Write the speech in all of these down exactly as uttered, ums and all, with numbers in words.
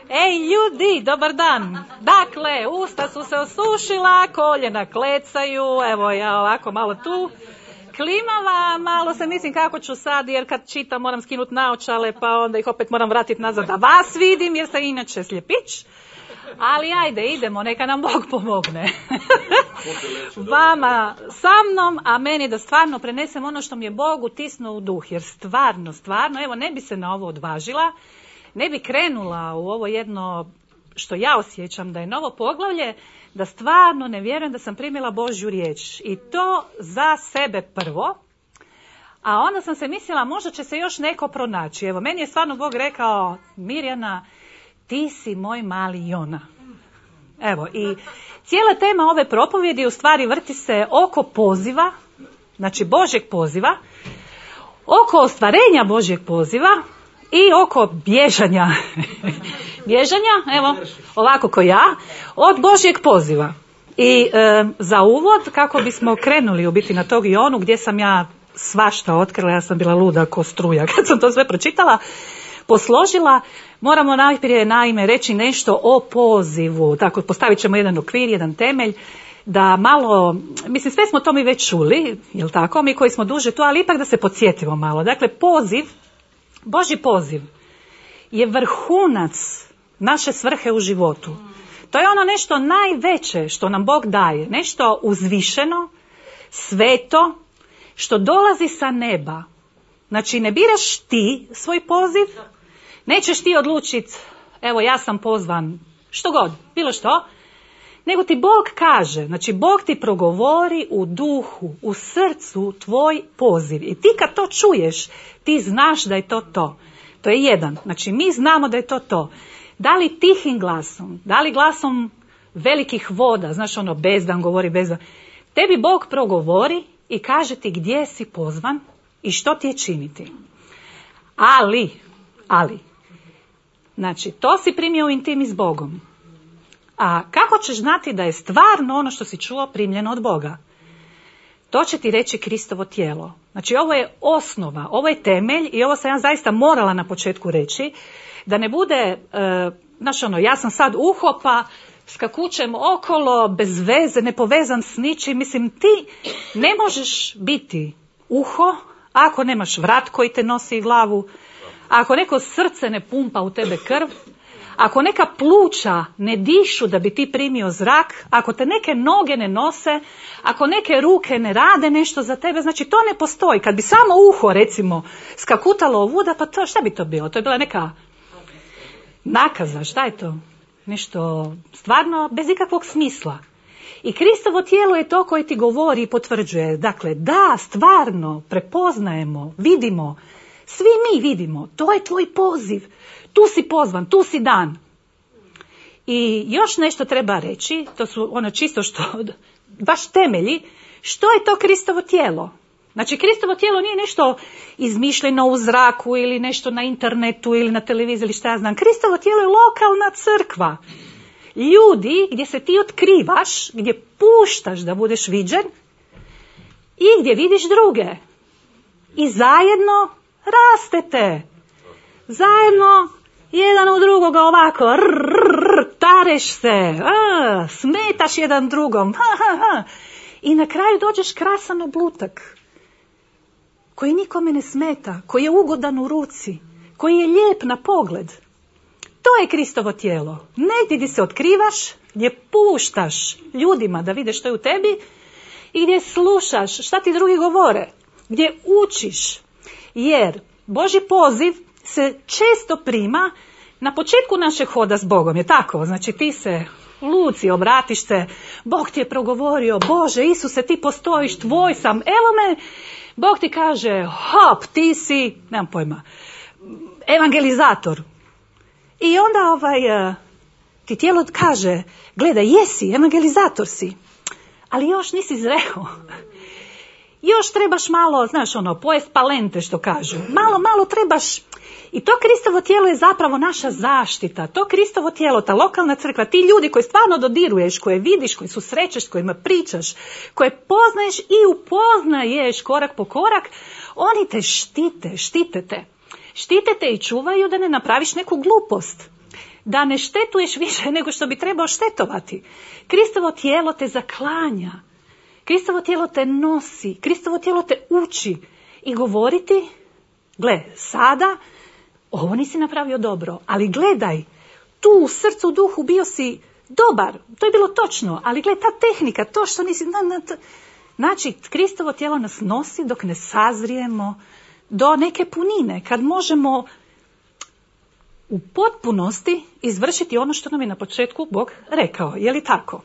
Ej ljudi, dobar dan. Dakle, usta su se osušila, koljena klecaju, evo ja ovako malo tu klimava, malo se mislim kako ću sad, jer kad čitam moram skinuti naočale, pa onda ih opet moram vratiti nazad da vas vidim, jer sam inače sljepić. Ali ajde, idemo, neka nam Bog pomogne. Vama sa mnom, a meni da stvarno prenesem ono što mi je Bog utisnuo u duh, jer stvarno, stvarno, evo ne bi se na ovo odvažila, ne bi krenula u ovo jedno što ja osjećam da je novo poglavlje, da stvarno ne vjerujem da sam primila Božju riječ. I to za sebe prvo, a onda sam se mislila možda će se još neko pronaći. Evo, meni je stvarno Bog rekao, Mirjana, ti si moj mali Jona. Evo, i cijela tema ove propovjedi u stvari vrti se oko poziva, znači Božjeg poziva, oko ostvarenja Božjeg poziva i oko bježanja, bježanja, evo, ovako ko ja, od Božjeg poziva. I e, za uvod, kako bismo krenuli u biti na tog Jonu, gdje sam ja svašta otkrila, ja sam bila luda ko struja kad sam to sve pročitala, posložila, moramo najprije naime reći nešto o pozivu. Tako, postavit ćemo jedan okvir, jedan temelj, da malo, mislim sve smo to mi već čuli, jel tako, mi koji smo duže tu, ali ipak da se podsjetimo malo. Dakle, poziv, Božji poziv je vrhunac naše svrhe u životu. To je ono nešto najveće što nam Bog daje, nešto uzvišeno, sveto, što dolazi sa neba. Znači, ne biraš ti svoj poziv, nećeš ti odlučiti, evo ja sam pozvan, što god, bilo što, nego ti Bog kaže, znači Bog ti progovori u duhu, u srcu tvoj poziv. I ti kad to čuješ, ti znaš da je to to. To je jedan, znači mi znamo da je to to. Da li tihim glasom, da li glasom velikih voda, znaš ono bezdan govori bezdan, tebi Bog progovori i kaže ti gdje si pozvan i što ti je činiti. Ali, ali, znači to si primio u intimi s Bogom. A kako ćeš znati da je stvarno ono što si čuo primljeno od Boga? To će ti reći Kristovo tijelo. Znači ovo je osnova, ovo je temelj i ovo sam ja zaista morala na početku reći, da ne bude, e, znaš ono, ja sam sad uho pa skakućem okolo, bez veze, ne povezan s ničim. Mislim, ti ne možeš biti uho ako nemaš vrat koji te nosi glavu, ako neko srce ne pumpa u tebe krv, ako neka pluća ne dišu da bi ti primio zrak, ako te neke noge ne nose, ako neke ruke ne rade nešto za tebe, znači to ne postoji. Kad bi samo uho, recimo, skakutalo ovuda, pa to, šta bi to bilo? To je bila neka nakaza, šta je to? Nešto stvarno bez ikakvog smisla. I Kristovo tijelo je to koje ti govori i potvrđuje. Dakle, da, stvarno, prepoznajemo, vidimo, svi mi vidimo, to je tvoj poziv. Tu si pozvan, tu si dan. I još nešto treba reći, to su ono čisto što, baš temelji, što je to Kristovo tijelo? Znači, Kristovo tijelo nije nešto izmišljeno u zraku ili nešto na internetu ili na televiziji ili šta ja znam. Kristovo tijelo je lokalna crkva. Ljudi gdje se ti otkrivaš, gdje puštaš da budeš viđen i gdje vidiš druge. I zajedno rastete. Zajedno jedan u drugoga ovako, rrr, tareš se, a, smetaš jedan drugom. Ha, ha, ha. I na kraju dođeš krasan oblutak koji nikome ne smeta, koji je ugodan u ruci, koji je lijep na pogled. To je Kristovo tijelo. Negdje gdje se otkrivaš, gdje puštaš ljudima da vide što je u tebi i gdje slušaš šta ti drugi govore, gdje učiš. Jer Božji poziv se često prima na početku našeg hoda s Bogom, je tako? Znači ti se luci, obratiš se, Bog ti je progovorio, Bože, Isuse, ti postojiš, tvoj sam, evo me, Bog ti kaže, hop, ti si, nemam pojma, evangelizator. I onda ovaj, ti tijelo kaže, gledaj, jesi, evangelizator si, ali još nisi zreo. Još trebaš malo, znaš ono, pojest palente što kažu. Malo, malo trebaš. I to Kristovo tijelo je zapravo naša zaštita. To Kristovo tijelo, ta lokalna crkva, ti ljudi koji stvarno dodiruješ, koje vidiš, koji susrećeš, s kojima pričaš, koje poznaješ i upoznaješ korak po korak, oni te štite, štite te. Štite te i čuvaju da ne napraviš neku glupost. da ne štetuješ više nego što bi trebao štetovati. Kristovo tijelo te zaklanja. Kristovo tijelo te nosi. Kristovo tijelo te uči. I govoriti, gle, sada ovo nisi napravio dobro, ali gledaj, tu u srcu, u duhu bio si dobar. To je bilo točno, ali gle, ta tehnika, to što nisi... Na, na, to... Znači, Kristovo tijelo nas nosi dok ne sazrijemo do neke punine, kad možemo u potpunosti izvršiti ono što nam je na početku Bog rekao. Je li tako?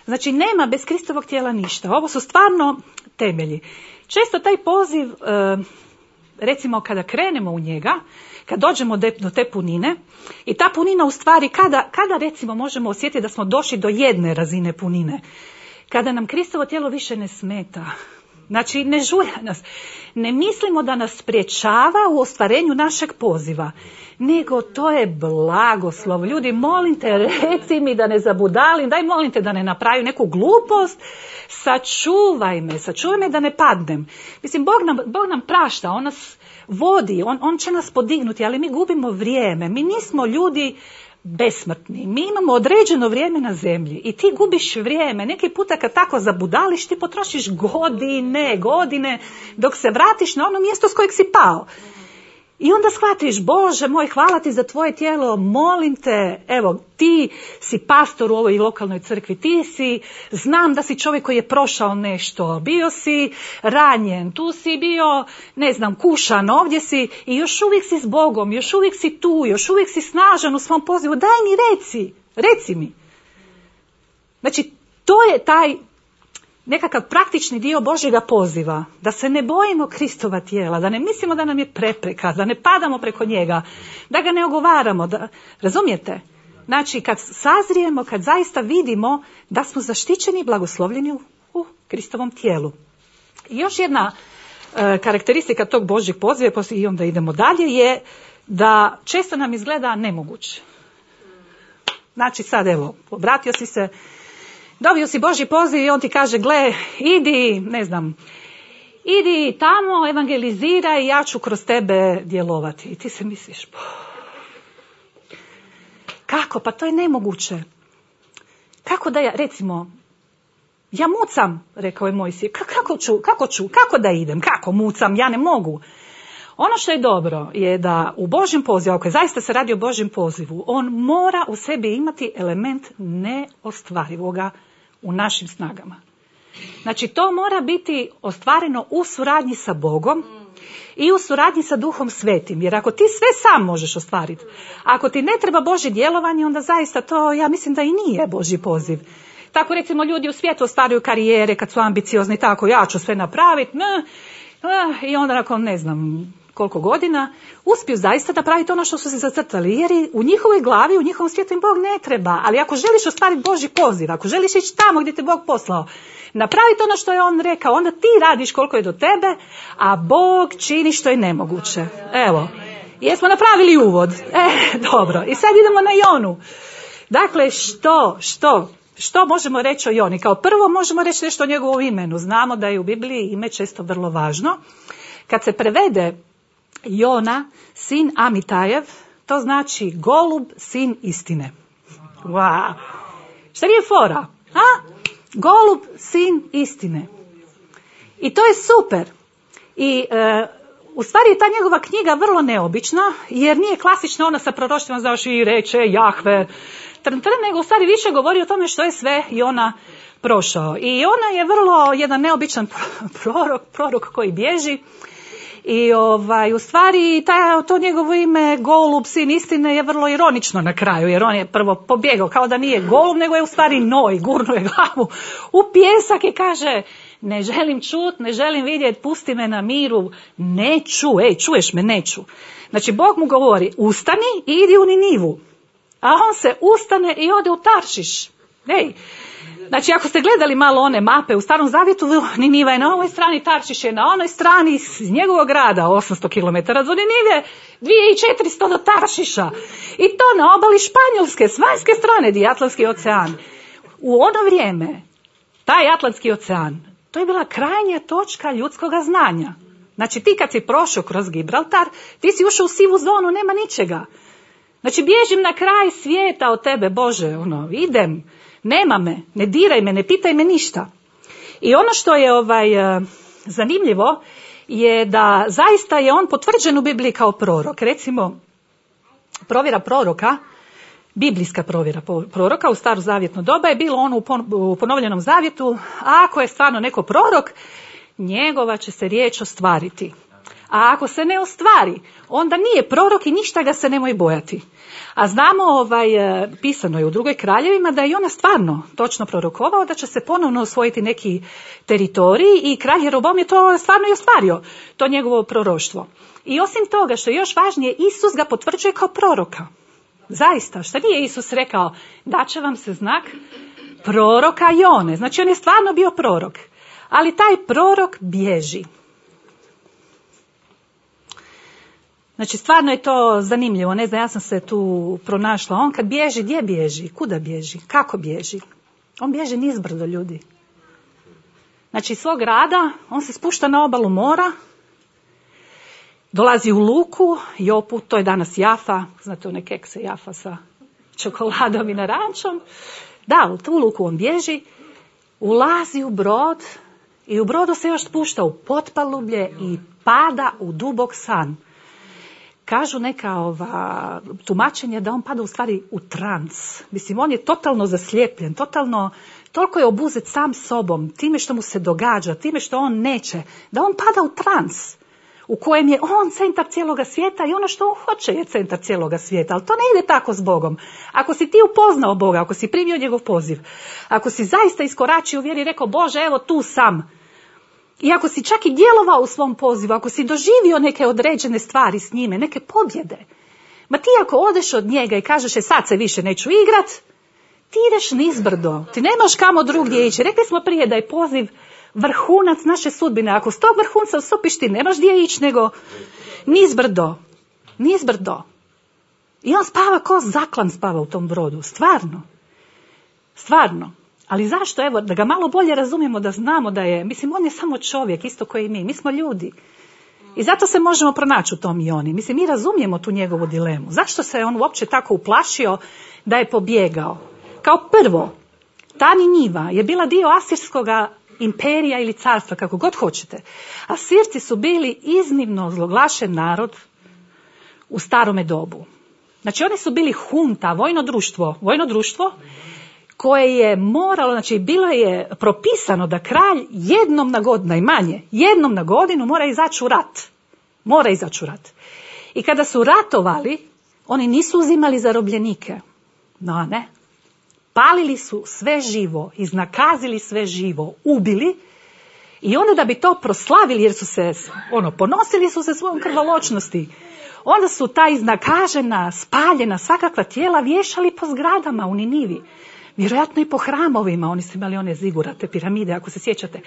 Znači, nema bez Kristovog tijela ništa. Ovo su stvarno temelji. Često taj poziv, recimo kada krenemo u njega, kad dođemo do te punine, i ta punina u stvari, kada, kada recimo možemo osjetiti da smo došli do jedne razine punine, kada nam Kristovo tijelo više ne smeta, znači ne žulja nas, ne mislimo da nas sprječava u ostvarenju našeg poziva, nego to je blagoslov. Ljudi, molim te, reci mi da ne zabudalim, daj molim te da ne napravim neku glupost, sačuvaj me, sačuvaj me da ne padnem. Mislim, Bog nam, Bog nam prašta, on nas vodi, on, on će nas podignuti, ali mi gubimo vrijeme, mi nismo ljudi besmrtni, mi imamo određeno vrijeme na zemlji i ti gubiš vrijeme. Neki puta kad tako zabudališ, ti potrošiš godine, godine, dok se vratiš na ono mjesto s kojeg si pao. I onda shvatiš, Bože moj, hvala ti za tvoje tijelo, molim te, evo, ti si pastor u ovoj lokalnoj crkvi, ti si, znam da si čovjek koji je prošao nešto, bio si ranjen, tu si bio, ne znam, kušan, ovdje si i još uvijek si s Bogom, još uvijek si tu, još uvijek si snažan u svom pozivu, daj mi reci, reci mi. Znači, to je taj nekakav praktični dio Božjega poziva, da se ne bojimo Kristova tijela, da ne mislimo da nam je prepreka, da ne padamo preko njega, da ga ne ogovaramo, da, razumijete? Znači, kad sazrijemo, kad zaista vidimo da smo zaštićeni i blagoslovljeni u, u Kristovom tijelu. I još jedna e, karakteristika tog Božjeg poziva, i onda idemo dalje, je da često nam izgleda nemoguće. Znači, sad evo, obratio si se, dobio si Božji poziv i on ti kaže, gle, idi, ne znam, idi tamo, evangeliziraj i ja ću kroz tebe djelovati. I ti se misliš, kako? Pa to je nemoguće. Kako da ja, recimo, ja mucam, rekao je Mojsije, kako ću, kako ću, kako da idem, kako mucam, ja ne mogu. Ono što je dobro je da u Božjem pozivu, ako je zaista se radi o Božjem pozivu, on mora u sebi imati element neostvarivoga u našim snagama. Znači, to mora biti ostvareno u suradnji sa Bogom i u suradnji sa Duhom Svetim. Jer ako ti sve sam možeš ostvariti, ako ti ne treba Božje djelovanje, onda zaista to, ja mislim da i nije Božji poziv. Tako recimo ljudi u svijetu ostvaruju karijere kad su ambiciozni, tako ja ću sve napraviti, ne, i onda nakon ne znam koliko godina uspiju zaista napraviti ono što su se zacrtali, jer u njihovoj glavi, u njihovom svijetu im Bog ne treba. Ali ako želiš ostvariti Božji poziv, ako želiš ići tamo gdje te Bog poslao, napraviti ono što je on rekao, onda ti radiš koliko je do tebe, a Bog čini što je nemoguće. Evo, jesmo napravili uvod. E, dobro. I sad idemo na Jonu. Dakle, što, što, što možemo reći o Joni? Kao prvo možemo reći nešto o njegovom imenu. Znamo da je u Bibliji ime često vrlo važno. Kad se prevede Jona, sin Amitajev, to znači golub, sin istine. Wow. Šta nije fora? A? Golub, sin istine. I to je super. I e, u stvari je ta njegova knjiga vrlo neobična, jer nije klasična ona sa proroštvima zaoši i reče Jahve, trn, trn, nego u stvari više govori o tome što je sve Jona prošao. I ona je vrlo jedan neobičan prorok, prorok koji bježi. I ovaj, u stvari taj, to njegovo ime golub, sin istine je vrlo ironično na kraju, jer on je prvo pobjegao kao da nije golub, nego je u stvari noj, gurnuo je glavu u pijesak i kaže, ne želim čut, ne želim vidjeti, pusti me na miru, neću, ej, čuješ me, neću. Znači, Bog mu govori, ustani i idi u Ninivu, a on se ustane i ode u Taršiš. Ej, znači, ako ste gledali malo one mape u Starom Zavjetu, Niniva je na ovoj strani, Taršiš je na onoj strani, iz njegovog grada osamsto kilometara do Ninive, dvije tisuće četiristo do Taršiša. I to na obali Španjolske, s vanjske strane, di Atlantski ocean. U ono vrijeme, taj Atlantski ocean, to je bila krajnja točka ljudskog znanja. Znači, ti kad si prošao kroz Gibraltar, ti si ušao u sivu zonu, nema ničega. Znači, bježim na kraj svijeta od tebe, Bože, ono, idem, nema me, ne diraj me, ne pitaj me ništa. I ono što je ovaj zanimljivo je da zaista je on potvrđen u Bibliji kao prorok. Recimo, provjera proroka, biblijska provjera proroka u starozavjetno doba je bilo ono u ponovljenom zavjetu, a ako je stvarno neko prorok, njegova će se riječ ostvariti. A ako se ne ostvari, onda nije prorok i ništa ga se nemoj bojati. A znamo, ovaj, pisano je u drugoj kraljevima da je ona stvarno točno prorokovao da će se ponovno osvojiti neki teritorij i kralj Jeroboam je to stvarno i ostvario, to njegovo proroštvo. I osim toga, što je još važnije, Isus ga potvrđuje kao proroka. Zaista, šta nije Isus rekao? Daće vam se znak proroka Jone. Znači, on je stvarno bio prorok. Ali taj prorok bježi. Znači, stvarno je to zanimljivo. Ne znam, ja sam se tu pronašla. On kad bježi, gdje bježi? Kuda bježi? Kako bježi? On bježi nizbrdo, ljudi. Znači, iz svog grada, on se spušta na obalu mora, dolazi u luku, Jopu, to je danas Jafa, znate one kekse Jafa sa čokoladom i narančom. Da, u tu luku on bježi, ulazi u brod i u brodu se još spušta u potpalublje i pada u dubok san. Kažu neka ova tumačenja da on pada u stvari u trans. Mislim, on je totalno zaslijepljen, totalno, toliko je obuzet sam sobom, time što mu se događa, time što on neće, da on pada u trans, u kojem je on centar cijeloga svijeta i ono što on hoće je centar cijeloga svijeta. Ali to ne ide tako s Bogom. Ako si ti upoznao Boga, ako si primio njegov poziv, ako si zaista iskoračio u vjeri i rekao, Bože, evo tu sam, i ako si čak i djelovao u svom pozivu, ako si doživio neke određene stvari s njime, neke pobjede, ma ti ako odeš od njega i kažeš, e sad se više neću igrat, ti ideš nizbrdo, ti nemaš kamo drugdje ići. Rekli smo prije da je poziv vrhunac naše sudbine. Ako s tog vrhunca ustupiš, ti nemaš gdje ići nego nizbrdo, nizbrdo. I on spava ko zaklan spava u tom brodu, stvarno, stvarno. Ali zašto? Evo, da ga malo bolje razumijemo, da znamo da je, mislim, on je samo čovjek, isto koji mi, mi smo ljudi. I zato se možemo pronaći u tom i oni. Mislim, mi razumijemo tu njegovu dilemu. Zašto se on uopće tako uplašio da je pobjegao? Kao prvo, ta Niniva je bila dio asirskoga imperija ili carstva, kako god hoćete. Asirci su bili iznimno zloglašen narod u starome dobu. Znači, oni su bili hunta, vojno društvo, vojno društvo koje je moralo, znači bilo je propisano da kralj jednom na godinu, najmanje, jednom na godinu mora izaći u rat. Mora izaći u rat. I kada su ratovali, oni nisu uzimali zarobljenike. No, ne. Palili su sve živo, iznakazili sve živo, ubili i onda da bi to proslavili, jer su se, ono, ponosili su se svojom krvoločnosti, onda su ta iznakažena, spaljena, svakakva tijela vješali po zgradama u Ninivi. Vjerojatno i po hramovima, oni su imali one zigurate, piramide, ako se sjećate.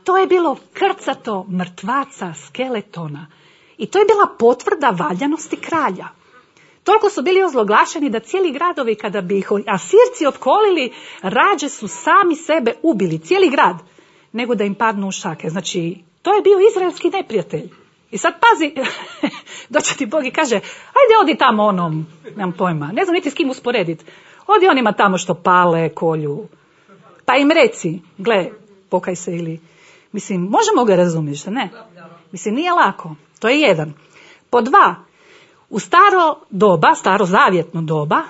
To je bilo krcato mrtvaca, skeletona. I to je bila potvrda valjanosti kralja. Toliko su bili ozloglašeni da cijeli gradovi, kada bi ih Asirci opkolili, rađe su sami sebe ubili, cijeli grad, nego da im padnu u šake. Znači, to je bio izraelski neprijatelj. I sad pazi, doće ti Bog i kaže, ajde odi tamo onom, nemam pojma, ne znam niti s kim usporediti. Odi onima tamo što pale, kolju. Pa im reci, gle, pokaj se ili... Mislim, možemo ga razumjeti, što ne? Mislim, nije lako. To je jedan. Po dva, u staro doba, staro zavjetno doba,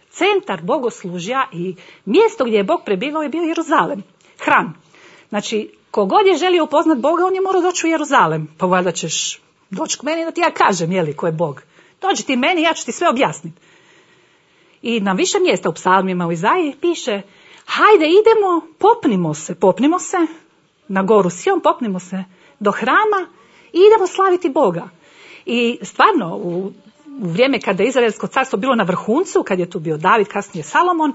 centar bogoslužja i mjesto gdje je Bog prebivao je bio Jeruzalem. Hram. Znači, kogod je želio upoznat Boga, on je morao doći u Jeruzalem. Pa valjda ćeš doći k meni da ti ja kažem, jeli, ko je Bog. Dođi ti meni, ja ću ti sve objasniti. I na više mjesta u psalmima u Izaiji piše, hajde idemo, popnimo se, popnimo se na goru Sion, popnimo se do hrama i idemo slaviti Boga. I stvarno, u, u vrijeme kada je Izraelsko carstvo bilo na vrhuncu, kad je tu bio David, kasnije Salomon,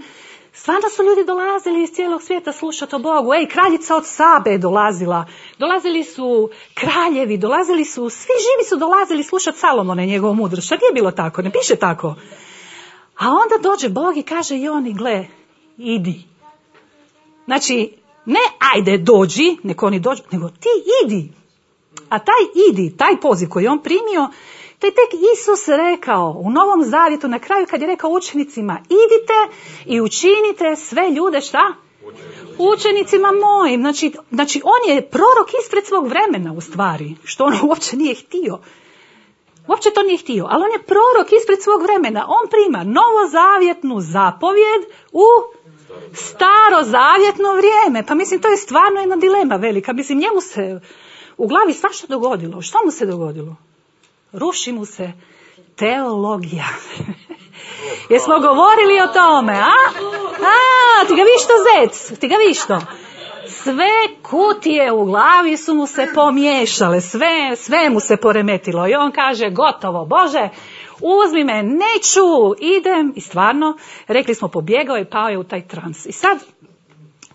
stvarno su ljudi dolazili iz cijelog svijeta slušati o Bogu. Ej, kraljica od Sabe je dolazila, dolazili su kraljevi, dolazili su, svi živi su dolazili slušati Salomona i njegovu mudrost. Šta nije bilo tako? Ne piše tako. A onda dođe Bog i kaže i oni, gle, idi. Znači, ne ajde dođi, neko oni dođu, nego ti idi. A taj idi, taj poziv koji je on primio, To je tek Isus rekao u Novom Zavjetu na kraju kad je rekao učenicima, idite i učinite sve ljude šta? Učenicima mojim. Znači, znači on je prorok ispred svog vremena u stvari, što on uopće nije htio. Uopće to nije htio, ali on je prorok ispred svog vremena. On prima novozavjetnu zapovjed u starozavjetno vrijeme. Pa mislim, to je stvarno jedna dilema velika. Mislim, njemu se u glavi svašta dogodilo. Što mu se dogodilo? Ruši mu se teologija. Jesmo govorili o tome, a? A, ti ga viš to, zec? Ti ga viš to? Sve kutije u glavi su mu se pomiješale, sve, sve mu se poremetilo. I on kaže, gotovo, Bože, uzmi me, neću, idem. I stvarno, rekli smo, pobjegao je, pao je u taj trans. I sad,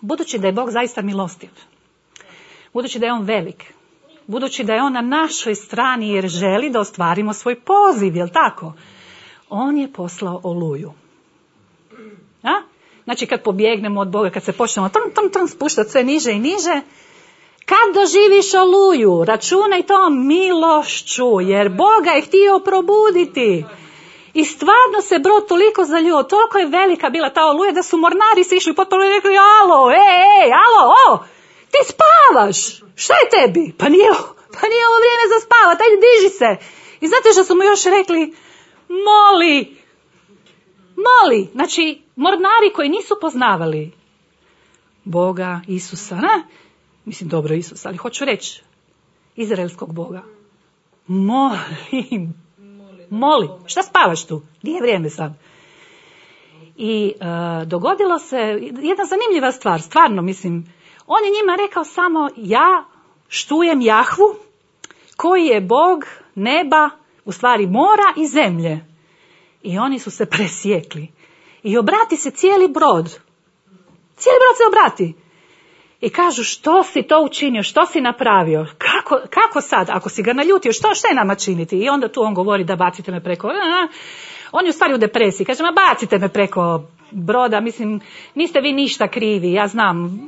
budući da je Bog zaista milostiv, budući da je on velik, budući da je on na našoj strani jer želi da ostvarimo svoj poziv, jel tako? On je poslao oluju. A? Znači kad pobjegnemo od Boga, kad se počnemo tom, tom, tom spuštati sve niže i niže, kad doživiš oluju, računaj to milošću, jer Boga je htio probuditi. I stvarno se brod toliko zaljio, toliko je velika bila ta oluja da su mornari se išli potpuno i rekli, alo, ej, ej, alo, o, ti spavaš, šta je tebi? Pa nije, pa nije ovo vrijeme za spavat, ajde diži se. I znate što su mu još rekli? Moli, moli. Znači, mornari koji nisu poznavali Boga, Isusa, ne? Mislim, dobro Isusa, ali hoću reći, izraelskog Boga. Molim, moli. Šta spavaš tu? Nije vrijeme sad. I uh, dogodilo se jedna zanimljiva stvar, stvarno, mislim, on je njima rekao samo, ja štujem Jahvu, koji je Bog neba, u stvari mora i zemlje. I oni su se presjekli. I obrati se cijeli brod. Cijeli brod se obrati. I kažu, što si to učinio, što si napravio, kako, kako sad, ako si ga naljutio, što, što je nama činiti? I onda tu on govori da bacite me preko, on je u stvari u depresiji, kaže, ma bacite me preko broda, mislim, niste vi ništa krivi, ja znam,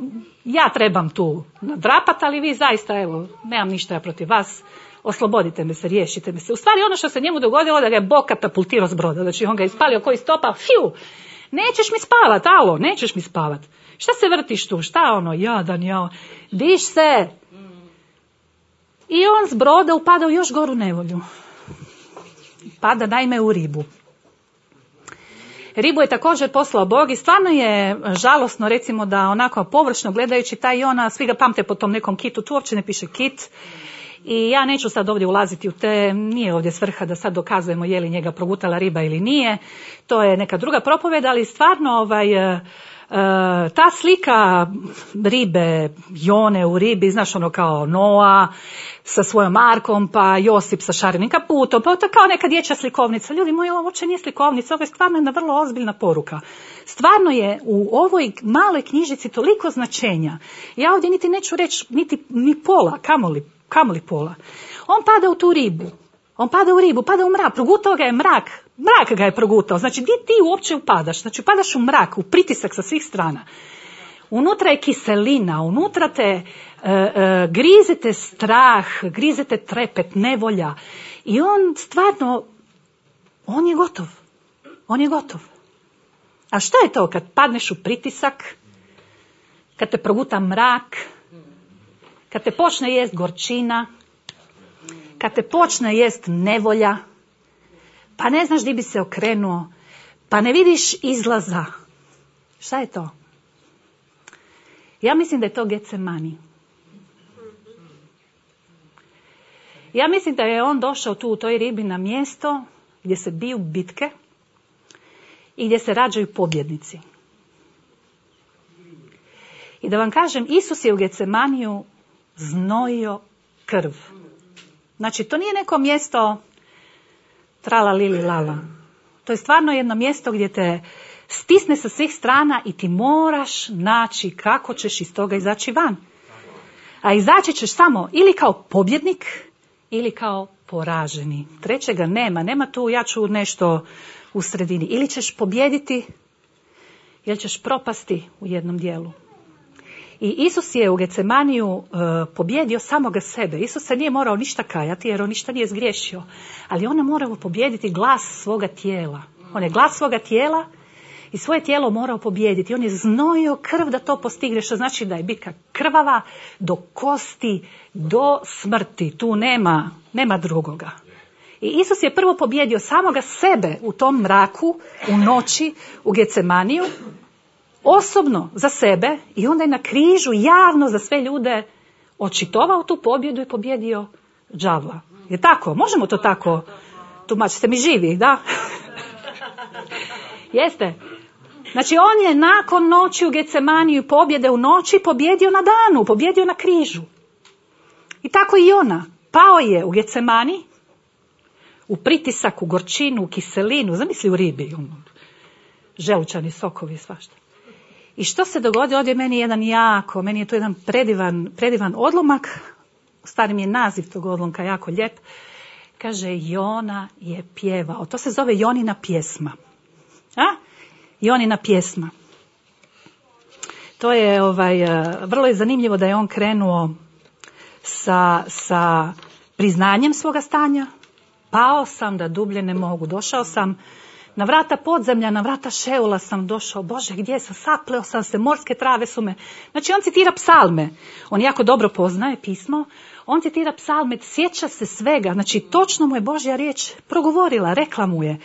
ja trebam tu nadrapat, ali vi zaista, evo, nemam ništa ja protiv vas, oslobodite me se, riješite me se. U stvari ono što se njemu dogodilo da ga je Bog katapultirao s broda, znači on ga je ispalio koji stopa, fiu, nećeš mi spavat, alo, nećeš mi spavat. Šta se vrtiš tu? Šta ono? Jadan, ja. Diš se. I on s broda upada u još goru nevolju. Pada naime u ribu. Ribu je također poslao Bog i stvarno je žalosno, recimo, da onako površno gledajući taj Jona, svi ga pamte po tom nekom kitu, tu uopće ne piše kit. I ja neću sad ovdje ulaziti u te, nije ovdje svrha da sad dokazujemo je li njega progutala riba ili nije. To je neka druga propoved, ali stvarno ovaj... Uh, ta slika ribe, Jone u ribi, znaš ono kao Noa sa svojom arkom, pa Josip sa šarenim kaputom, pa to kao neka dječja slikovnica. Ljudi moji, ovo uopće nije slikovnica, ovo je stvarno jedna vrlo ozbiljna poruka. Stvarno je u ovoj maloj knjižici toliko značenja. Ja ovdje niti neću reći niti ni pola, kamoli, kamoli pola. On pada u tu ribu. On pada u ribu, pada u mrak, progutao ga je mrak, mrak ga je progutao. Znači, gdje ti uopće upadaš? Znači, upadaš u mrak, u pritisak sa svih strana. Unutra je kiselina, unutra te e, e, grizete strah, grizete trepet, nevolja. I on stvarno, on je gotov. On je gotov. A što je to kad padneš u pritisak, kad te proguta mrak, kad te počne jest gorčina, kad te počne jest nevolja, pa ne znaš di bi se okrenuo, pa ne vidiš izlaza. Šta je to? Ja mislim da je to Getsemani. Ja mislim da je on došao tu u toj ribi na mjesto gdje se biju bitke i gdje se rađaju pobjednici. I da vam kažem, Isus je u Getsemaniju znojio krv. Znači, to nije neko mjesto trala lili lala. To je stvarno jedno mjesto gdje te stisne sa svih strana i ti moraš naći kako ćeš iz toga izaći van. A izaći ćeš samo ili kao pobjednik ili kao poraženi. Trećega nema, nema tu ja ću nešto u sredini. Ili ćeš pobjediti ili ćeš propasti u jednom dijelu. I Isus je u Gecemaniju uh, pobjedio samoga sebe. Isus se nije morao ništa kajati jer on ništa nije zgriješio. Ali on je morao pobijediti glas svoga tijela. On je glas svoga tijela i svoje tijelo morao pobijediti. On je znojio krv da to postigne, što znači da je bitka krvava do kosti, do smrti. Tu nema, nema drugoga. I Isus je prvo pobjedio samoga sebe u tom mraku, u noći, u Gecemaniju, osobno za sebe, i onda je na križu javno za sve ljude očitovao tu pobjedu i pobjedio đavla. Je tako? Možemo to tako tumačiti? Ste mi živi, da? Jeste? Znači on je nakon noći u Gecemaniju, pobjede u noći, pobjedio na danu, pobjedio na križu. I tako i ona. Pao je u Gecemani, u pritisak, u gorčinu, u kiselinu, zamisli u ribi, želučani sokovi, svašta. I što se dogodi? Ovdje meni je jedan jako, meni je to jedan predivan, predivan odlomak, u stvari mi je naziv tog odlomka jako lijep. Kaže, Jona je pjevao. To se zove Jonina pjesma. A? Jonina pjesma. To je, ovaj, vrlo je zanimljivo da je on krenuo sa, sa priznanjem svoga stanja. Pao sam da dublje ne mogu. Došao sam na vrata podzemlja, na vrata Šeula sam došao. Bože, gdje sam? Sapleo sam se, morske trave su me. Znači on citira psalme. On jako dobro poznaje pismo. On citira psalme, sjeća se svega. Znači točno mu je Božja riječ progovorila, rekla mu je.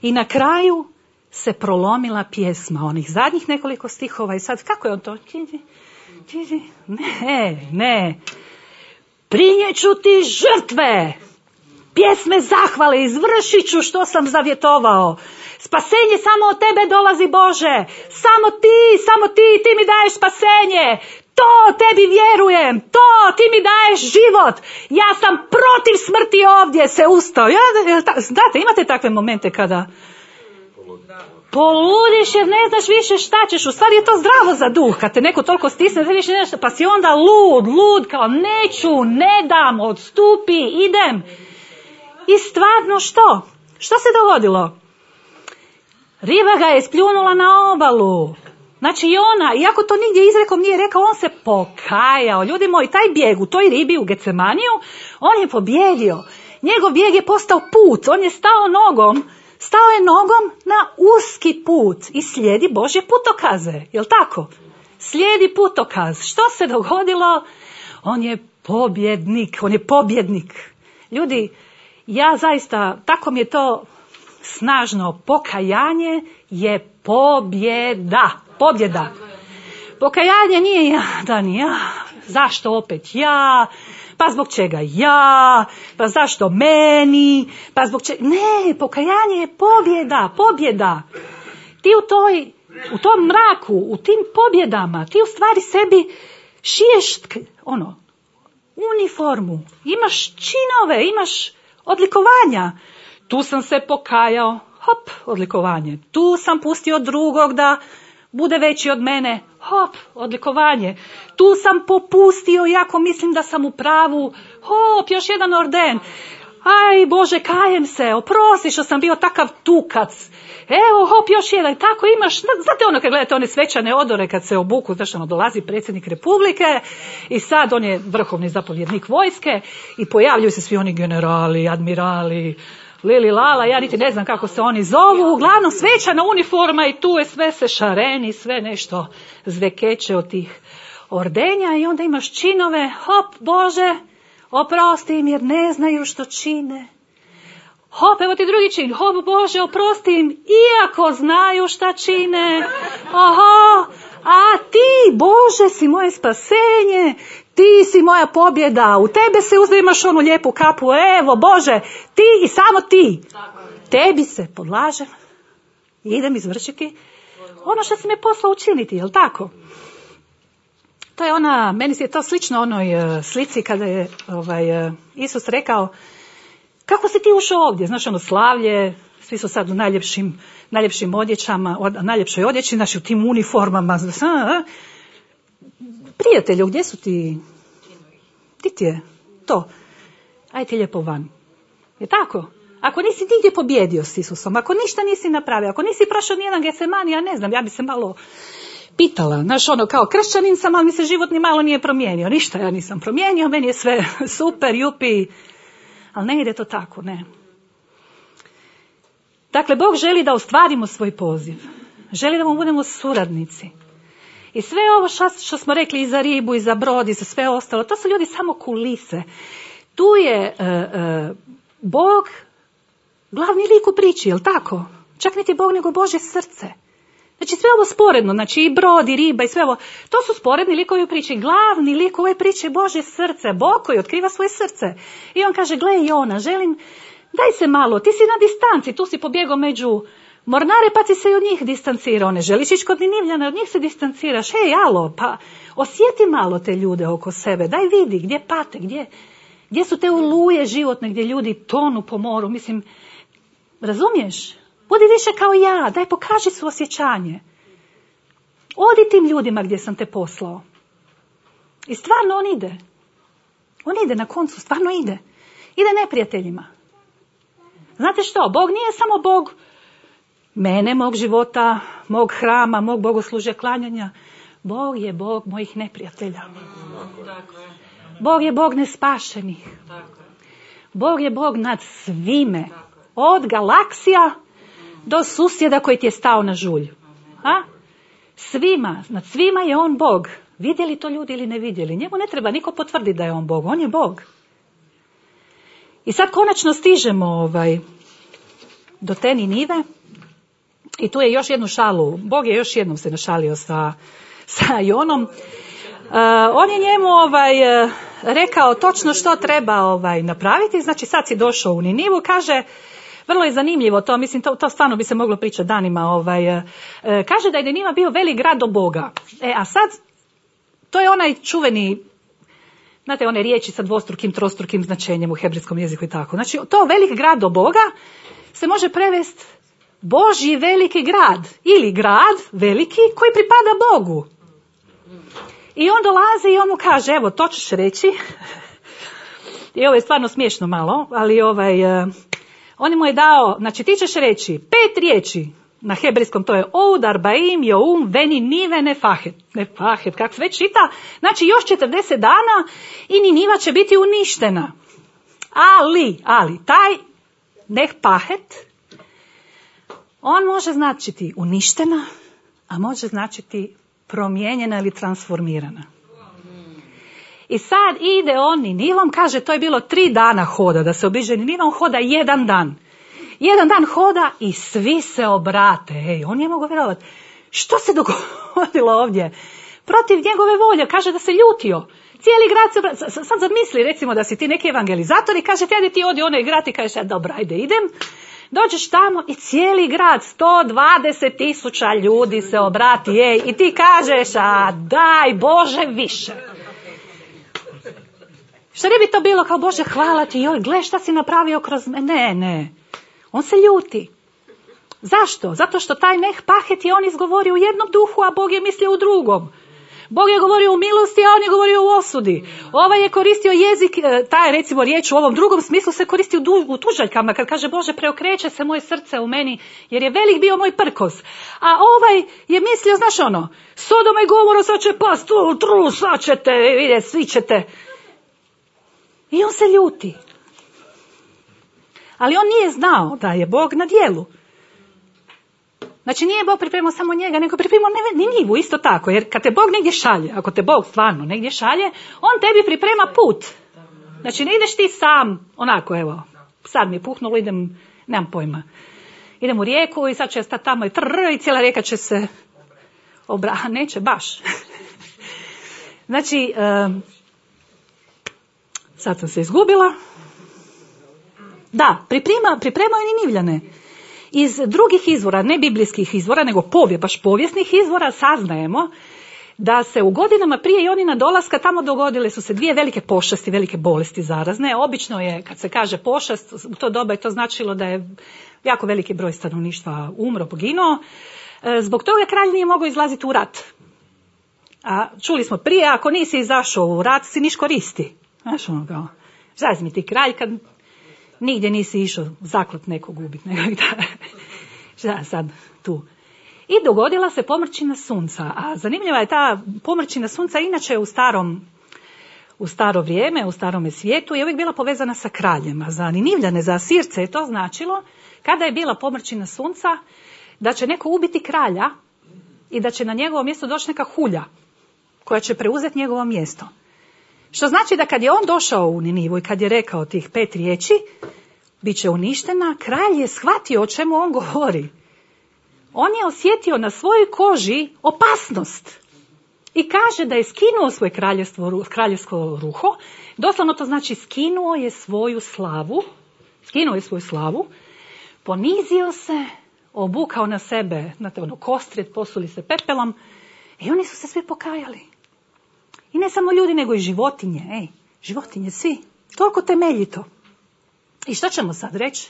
I na kraju se prolomila pjesma. Onih zadnjih nekoliko stihova. I sad kako je on to? Ne, ne. Prinijet ću ti žrtve. Pjesme zahvale, izvršit ću što sam zavjetovao. Spasenje samo od tebe dolazi, Bože. Samo ti, samo ti, ti mi daješ spasenje. To tebi vjerujem, to ti mi daješ život. Ja sam protiv smrti ovdje se ustao. Ja, znate, imate takve momente kada poludiš jer ne znaš više šta ćeš. U stvari je to zdravo za duh. Kad te neko toliko stisne, više nešto, pa si onda lud, lud, kao neću, ne dam, odstupi, idem. I stvarno što? Što se dogodilo? Riba ga je spljunula na obalu. Znači i ona, iako to nigdje izrekom nije rekao, on se pokajao. Ljudi moji, taj bijeg u toj ribi u Gecemaniju, on je pobjedio. Njegov bijeg je postao put. On je stao nogom, stao je nogom na uski put i slijedi Božje putokaze. Jel tako? Slijedi putokaz. Što se dogodilo? On je pobjednik. On je pobjednik. Ljudi, ja zaista, tako mi je to snažno, pokajanje je pobjeda. Pobjeda. Pokajanje nije ja, da ni ja, zašto opet ja, pa zbog čega ja, pa zašto meni, pa zbog čega, ne, pokajanje je pobjeda, pobjeda. Ti u toj, u tom mraku, u tim pobjedama, ti u stvari sebi šiješ, ono, uniformu, imaš činove, imaš odlikovanja. Tu sam se pokajao, hop, odlikovanje. Tu sam pustio drugog da bude veći od mene, hop, odlikovanje. Tu sam popustio, iako mislim da sam u pravu, hop, još jedan orden. Aj, Bože, kajem se, oprosti što sam bio takav tukac. Evo, hop, još jedan. Tako imaš, znate ono kad gledate one svečane odore kad se obuku, znaš ono, dolazi predsjednik Republike i sad on je vrhovni zapovjednik vojske i pojavljuju se svi oni generali, admirali, Lili Lala, ja niti ne znam kako se oni zovu, uglavnom svečana uniforma i tu je sve se šareni, sve nešto zvekeće od tih ordenja i onda imaš činove, hop, Bože, oprosti im jer ne znaju što čine. Hop, evo ti drugi čin, hop, Bože, oprosti im iako znaju šta čine. Aha, a ti, Bože, si moje spasenje, ti si moja pobjeda, u tebe se uzdimaš onu lijepu kapu, evo Bože, ti i samo ti. Tebi se podlažem i idem izvršiti ono što si me poslao učiniti, jel tako? To je ona, meni je to slično onoj slici kada je ovaj, Isus rekao, kako si ti ušao ovdje, znaš ono slavlje, svi su sad u najljepšim, najljepšim odjećama, od, najljepšoj odjeći, znači u tim uniformama. Prijatelju, gdje su ti? Gdje ti je to? Ajde ti lijepo van. Je tako? Ako nisi nigdje pobjedio s Isusom, ako ništa nisi napravio, ako nisi prošao nijedan Getsemani, ja ne znam, ja bi se malo pitala, znaš ono, kao kršćanin sam, ali mi se život ni malo nije promijenio, ništa ja nisam promijenio, meni je sve super, jupi, ali ne ide to tako, ne. Dakle, Bog želi da ostvarimo svoj poziv, želi da mu budemo suradnici. I sve ovo što, što smo rekli i za ribu, i za brod, i za sve ostalo, to su ljudi samo kulise. Tu je uh, uh, Bog glavni lik u priči, jel tako? Čak niti Bog, nego Božje srce. Znači sve ovo sporedno, znači i brod, i riba, i sve ovo, to su sporedni likovi u priči. Glavni lik u ovoj priči je Božje srce, Bog koji otkriva svoje srce. I on kaže, gle Jona, želim, daj se malo, ti si na distanci, tu si pobjegao među mornare, pa ti se i od njih distancirao. Ne želiš ići kod Ninivljana, od njih se distanciraš. Hej, alo, pa osjeti malo te ljude oko sebe, daj vidi gdje pate, gdje, gdje su te oluje životne, gdje ljudi tonu po moru. Mislim, razumiješ? Budi više kao ja, daj pokaži suosjećanje. Odi tim ljudima gdje sam te poslao. I stvarno on ide. On ide na koncu, stvarno ide. Ide neprijateljima. Znate što, Bog nije samo Bog mene, mog života, mog hrama, mog bogoslužja, klanjanja. Bog je Bog mojih neprijatelja. Bog je Bog nespašenih. Bog je Bog nad svime. Od galaksija do susjeda koji ti je stao na žulj. A? Svima, nad svima je on Bog. Vidjeli to ljudi ili ne vidjeli? Njemu ne treba niko potvrditi da je on Bog. On je Bog. I sad konačno stižemo ovaj, do te Ninive. I tu je još jednu šalu. Bog je još jednom se našalio sa, sa Jonom. Uh, on je njemu ovaj, rekao točno što treba ovaj, napraviti. Znači sad si došao u Ninivu. Kaže, vrlo je zanimljivo to, mislim, to, to stvarno bi se moglo pričati danima. Ovaj, uh, kaže da je Niniva bio velik grad do Boga. E, a sad, to je onaj čuveni, znate, one riječi sa dvostrukim, trostrukim značenjem u hebrejskom jeziku i tako. Znači, to velik grad do Boga se može prevesti Božji veliki grad ili grad veliki koji pripada Bogu. I on dolazi i on mu kaže, evo, to ćeš reći. I ovo je stvarno smiješno malo, ali ovaj, uh, on mu je dao, znači ti ćeš reći pet riječi na hebrejskom, to je Oud, Arbaim, Joum, Veni, Nive, Nefahet. Nefahet, kako se već čita, znači još četrdeset dana i Niniva će biti uništena. Ali, ali, taj Nefahet, on može značiti uništena, a može značiti promijenjena ili transformirana. I sad ide on Ninivom, kaže to je bilo tri dana hoda, da se obiđe Niniva, on hoda jedan dan. Jedan dan hoda i svi se obrate. Ej, on je mogao vjerovati. Što se dogodilo ovdje? Protiv njegove volje, kaže da se ljutio. Cijeli grad se obrate. Sad zamisli recimo da si ti neki evangelizator i kaže ti, ti odi onaj grad i kaže dobro, ajde idem. Dođeš tamo i cijeli grad, sto dvadeset tisuća ljudi se obrati, ej, i ti kažeš, a daj Bože više. Što ne bi to bilo kao Bože hvala ti, joj, gle šta si napravio kroz me. Ne, ne, on se ljuti. Zašto? Zato što taj Nehpahet je on izgovorio u jednom duhu, a Bog je mislio u drugom. Bog je govorio u milosti, a on je govorio u osudi. Ovaj je koristio jezik, taj recimo riječ u ovom drugom smislu se koristi u, du, u tužaljkama, kad kaže Bože preokreće se moje srce u meni, jer je velik bio moj prkos. A ovaj je mislio, znaš ono, Sodoma i Gomora sad će past, tru, tru, sad ćete, vidjeti, svi ćete. I on se ljuti. Ali on nije znao da je Bog na djelu. Znači nije Bog pripremao samo njega, nego pripremao Ninivu isto tako. Jer kad te Bog negdje šalje, ako te Bog stvarno negdje šalje, on tebi priprema put. Znači ne ideš ti sam, onako evo, sad mi je puhnulo, idem, nemam pojma. Idem u rijeku i sad će stati tamo i trr, i cijela rijeka će se obra... Neće baš. Znači, um, sad sam se izgubila. Da, priprema, pripremao je Ninivljane. Iz drugih izvora, ne biblijskih izvora, nego povije, baš povijesnih izvora, saznajemo da se u godinama prije Jonina dolaska tamo dogodile su se dvije velike pošasti, velike bolesti zarazne. Obično je, kad se kaže pošast, u to doba je to značilo da je jako veliki broj stanovništva umro, poginuo. Zbog toga kralj nije mogao izlaziti u rat. A čuli smo prije, ako nisi izašao u rat, si niš koristi. Znaš ono kao, zazmi ti kralj kad nigdje nisi išao zaklat nekog ubiti, nego da, šta sad tu. I dogodila se pomrčina sunca. A zanimljiva je ta pomrčina sunca, inače u starom, u staro vrijeme, u starome svijetu je uvijek bila povezana sa kraljema. Za Ninivljane, za Asirce je to značilo, kada je bila pomrčina sunca, da će neko ubiti kralja i da će na njegovo mjesto doći neka hulja koja će preuzeti njegovo mjesto. Što znači da kad je on došao u Ninivu i kad je rekao tih pet riječi, bit će uništena, kralj je shvatio o čemu on govori. On je osjetio na svojoj koži opasnost i kaže da je skinuo svoje kraljevstvo, kraljevsko ruho. Doslovno to znači skinuo je svoju slavu, skinuo je svoju slavu, ponizio se, obukao na sebe, znate, ono, kostrijet, posuli se pepelom i oni su se svi pokajali. I ne samo ljudi, nego i životinje, ej, životinje, svi, toliko temeljito. I što ćemo sad reći?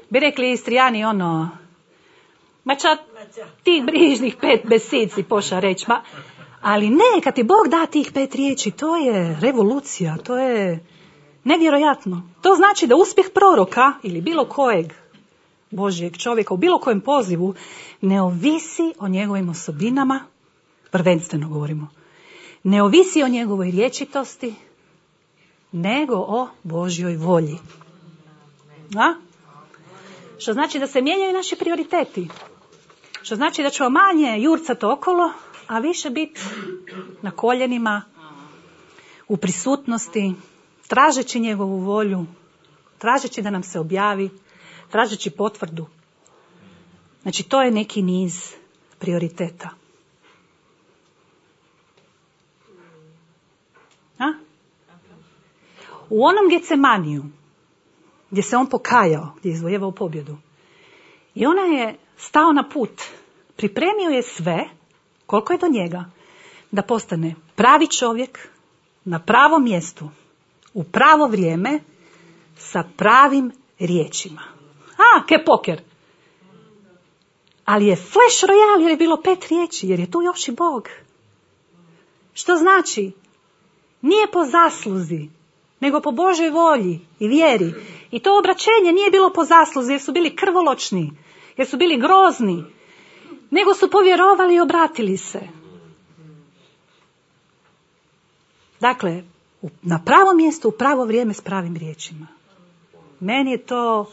Bi rekli Istrijani ono, ma ča ti brižnih pet besici poša reći, ma, ali ne, kad ti Bog da tih pet riječi, to je revolucija, to je nevjerojatno. To znači da uspjeh proroka ili bilo kojeg Božjeg čovjeka u bilo kojem pozivu ne ovisi o njegovim osobinama, prvenstveno govorimo, ne ovisi o njegovoj rječitosti, nego o Božjoj volji. A? Što znači da se mijenjaju naši prioriteti. Što znači da ćemo manje jurcati okolo, a više biti na koljenima, u prisutnosti, tražeći njegovu volju, tražeći da nam se objavi, tražeći potvrdu. Znači, to je neki niz prioriteta. A? U onom Getsemaniju, gdje se on pokajao, gdje je izvojevao pobjedu, i ona je stao na put, pripremio je sve, koliko je do njega, da postane pravi čovjek, na pravom mjestu, u pravo vrijeme, sa pravim riječima. A, ke poker. Ali je flash royale jer je bilo pet riječi, jer je tu još i Bog. Što znači? Nije po zasluzi, nego po Božoj volji i vjeri. I to obraćenje nije bilo po zasluzi jer su bili krvoločni, jer su bili grozni, nego su povjerovali i obratili se. Dakle, na pravo mjesto, u pravo vrijeme s pravim riječima. Meni je to,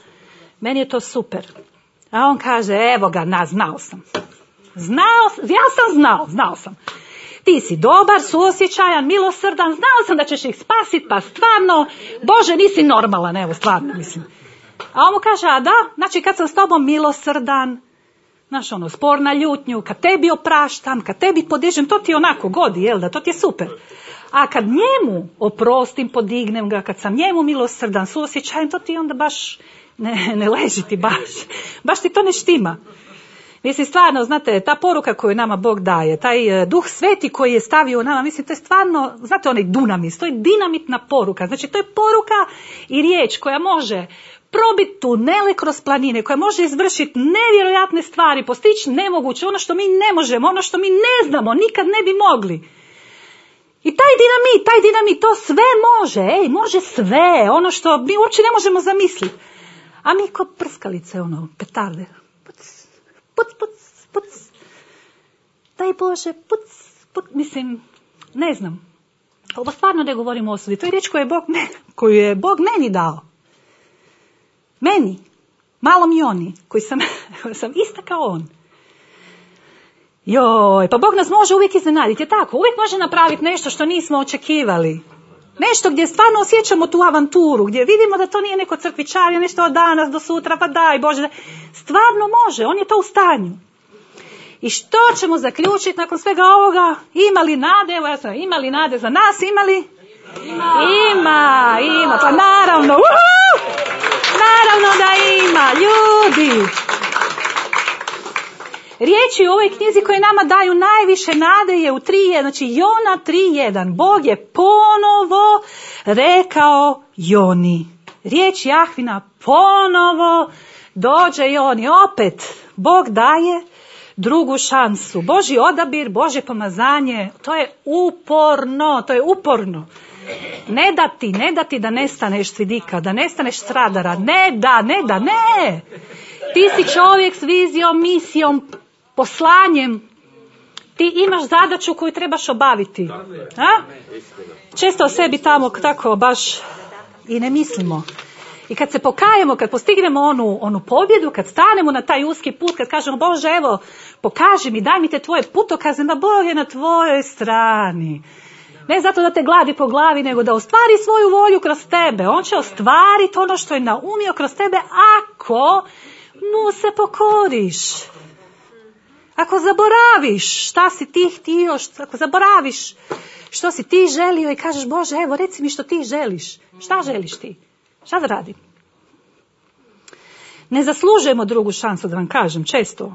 meni je to super. A on kaže, evo ga, na, znao sam. Znao, ja sam znao, znao sam. Ti si dobar, suosjećajan, milosrdan, znao sam da ćeš ih spasiti, pa stvarno, Bože, nisi normalan, evo, stvarno, mislim. A on mu kaže, a da, znači kad sam s tobom milosrdan, znaš ono, spor na ljutnju, kad tebi opraštam, kad tebi podižem, to ti onako godi, jel da, to ti je super. A kad njemu oprostim, podignem ga, kad sam njemu milosrdan, suosjećajem, to ti onda baš ne, ne leži ti baš. Baš ti to ne štima. Mislim, stvarno, znate, ta poruka koju nama Bog daje, taj Duh Sveti koji je stavio u nama, mislim, to je stvarno, znate, onaj dunamis, to je dinamitna poruka. Znači, to je poruka i riječ koja može probiti tunele kroz planine, koja može izvršiti nevjerojatne stvari, postići nemoguće, ono što mi ne možemo, ono što mi ne znamo, nikad ne bi mogli. I taj dinamit, taj dinamit, to sve može, ej, može sve, ono što mi uopće ne možemo zamisliti. A mi ko prskalice, ono, petarde, puc, puc, puc, puc, daj Bože, puc, puc, mislim, ne znam. Ovo stvarno ne govorim o osudi, to je riječ koju je Bog, me, koju je Bog meni dao. Meni, malom Joni, koji sam, koji sam ista kao on. Joj, pa Bog nas može uvijek iznenaditi, je tako? Uvijek može napraviti nešto što nismo očekivali. Nešto gdje stvarno osjećamo tu avanturu, gdje vidimo da to nije neko crkvičarje, nešto od danas do sutra, pa daj Bože. Stvarno može, on je to u stanju. I što ćemo zaključiti nakon svega ovoga? Ima li nade? Evo ja sam, ima li nade za nas? Ima li? Ima, ima, ima. Pa naravno, uhu! Naravno da ima, ljudi. Riječi u ovoj knjizi koje nama daju najviše nade je u tri, znači Jona tri jedan. Bog je ponovo rekao Joni. Riječ Jahvina ponovo dođe Joni. Opet Bog daje drugu šansu. Božji odabir, Božje pomazanje, to je uporno, to je uporno. Ne da ti, ne da ti da nestaneš s vidika, da nestaneš s radara. Ne da, ne da, ne. Ti si čovjek s vizijom, misijom, poslanjem. Ti imaš zadaću koju trebaš obaviti. A? Često o sebi tamo tako baš i ne mislimo. I kad se pokajemo, kad postignemo onu, onu pobjedu, kad stanemo na taj uski put, kad kažemo Bože, evo, pokaži mi, daj mi te tvoje putokaze, da Bog je na tvojoj strani. Ne zato da te gladi po glavi, nego da ostvari svoju volju kroz tebe. On će ostvariti ono što je naumio kroz tebe ako mu se pokoriš. Ako zaboraviš šta si ti htio, ako zaboraviš što si ti želio i kažeš Bože, evo reci mi što ti želiš. Šta želiš ti? Šta da radim? Ne zaslužujemo drugu šansu, da vam kažem, često.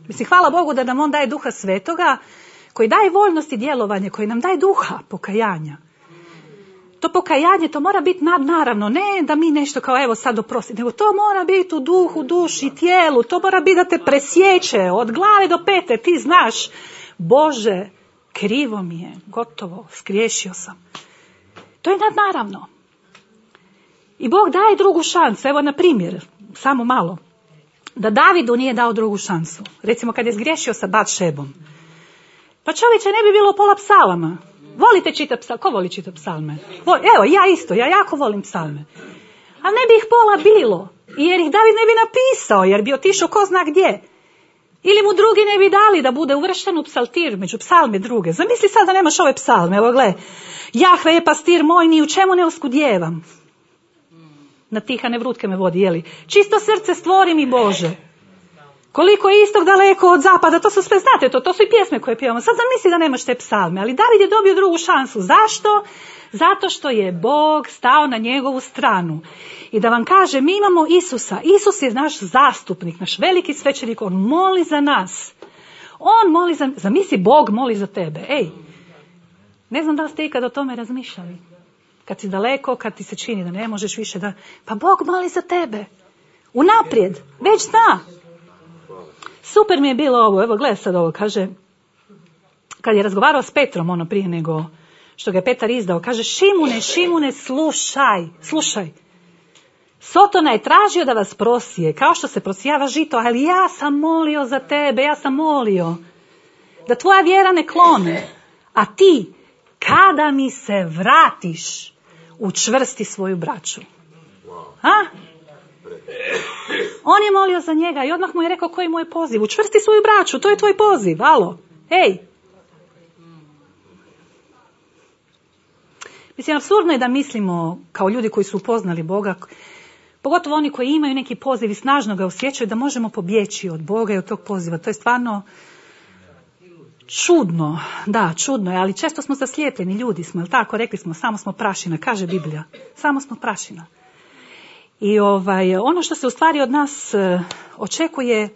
Mislim, hvala Bogu da nam On daje Duha Svetoga, koji daje voljnost i djelovanje, koji nam daje duha pokajanja. To pokajanje, to mora biti nadnaravno, ne da mi nešto kao evo sad oprosti, nego to mora biti u duhu, duši, tijelu, to mora biti da te presjeće od glave do pete, ti znaš, Bože, krivo mi je, gotovo, skriješio sam. To je nadnaravno. I Bog daje drugu šansu, evo na primjer, samo malo, da Davidu nije dao drugu šansu. Recimo kad je zgriješio sa Batšebom. Pa čovječe, ne bi bilo pola psalama. Volite čitati psalme? Ko voli čitati psalme? Evo, ja isto, ja jako volim psalme. Ali ne bi ih pola bilo, jer ih David ne bi napisao, jer bi otišao ko zna gdje. Ili mu drugi ne bi dali da bude uvršten u psaltir, među psalme druge. Zamisli sad da nemaš ove psalme, evo gle, Jahve je pastir moj, ni u čemu ne oskudjevam. Na tihane vrutke me vodi, jeli? Čisto srce stvori mi Bože. Koliko je istog daleko od zapada, to su sve, znate to, to su i pjesme koje pjevamo. Sad zamisli da nemaš te psalme, ali David je dobio drugu šansu. Zašto? Zato što je Bog stao na njegovu stranu. I da vam kaže, mi imamo Isusa. Isus je naš zastupnik, naš veliki svećenik, on moli za nas. On moli za, zamisli, Bog moli za tebe. Ej, ne znam da li ste ikad o tome razmišljali. Kad si daleko, kad ti se čini da ne možeš više da... Pa Bog moli za tebe. Unaprijed, već zna. Super mi je bilo ovo, evo gledaj sad ovo, kaže, kad je razgovarao s Petrom, ono prije nego što ga je Petar izdao, kaže, Šimune, Šimune, slušaj, slušaj. Sotona je tražio da vas prosije, kao što se prosijava žito, ali ja sam molio za tebe, ja sam molio da tvoja vjera ne klone, a ti, kada mi se vratiš, učvrsti svoju braću. A? On je molio za njega i odmah mu je rekao koji mu je poziv. Učvrsti svoju braću, to je tvoj poziv, alo, ej. Mislim, apsurdno je da mislimo kao ljudi koji su upoznali Boga, pogotovo oni koji imaju neki poziv i snažno ga osjećaju, da možemo pobjeći od Boga i od tog poziva. To je stvarno čudno, da, čudno je, ali često smo zaslijepljeni ljudi smo, jel tako, rekli smo, samo smo prašina, kaže Biblija, samo smo prašina. I ovaj, ono što se u stvari od nas uh, očekuje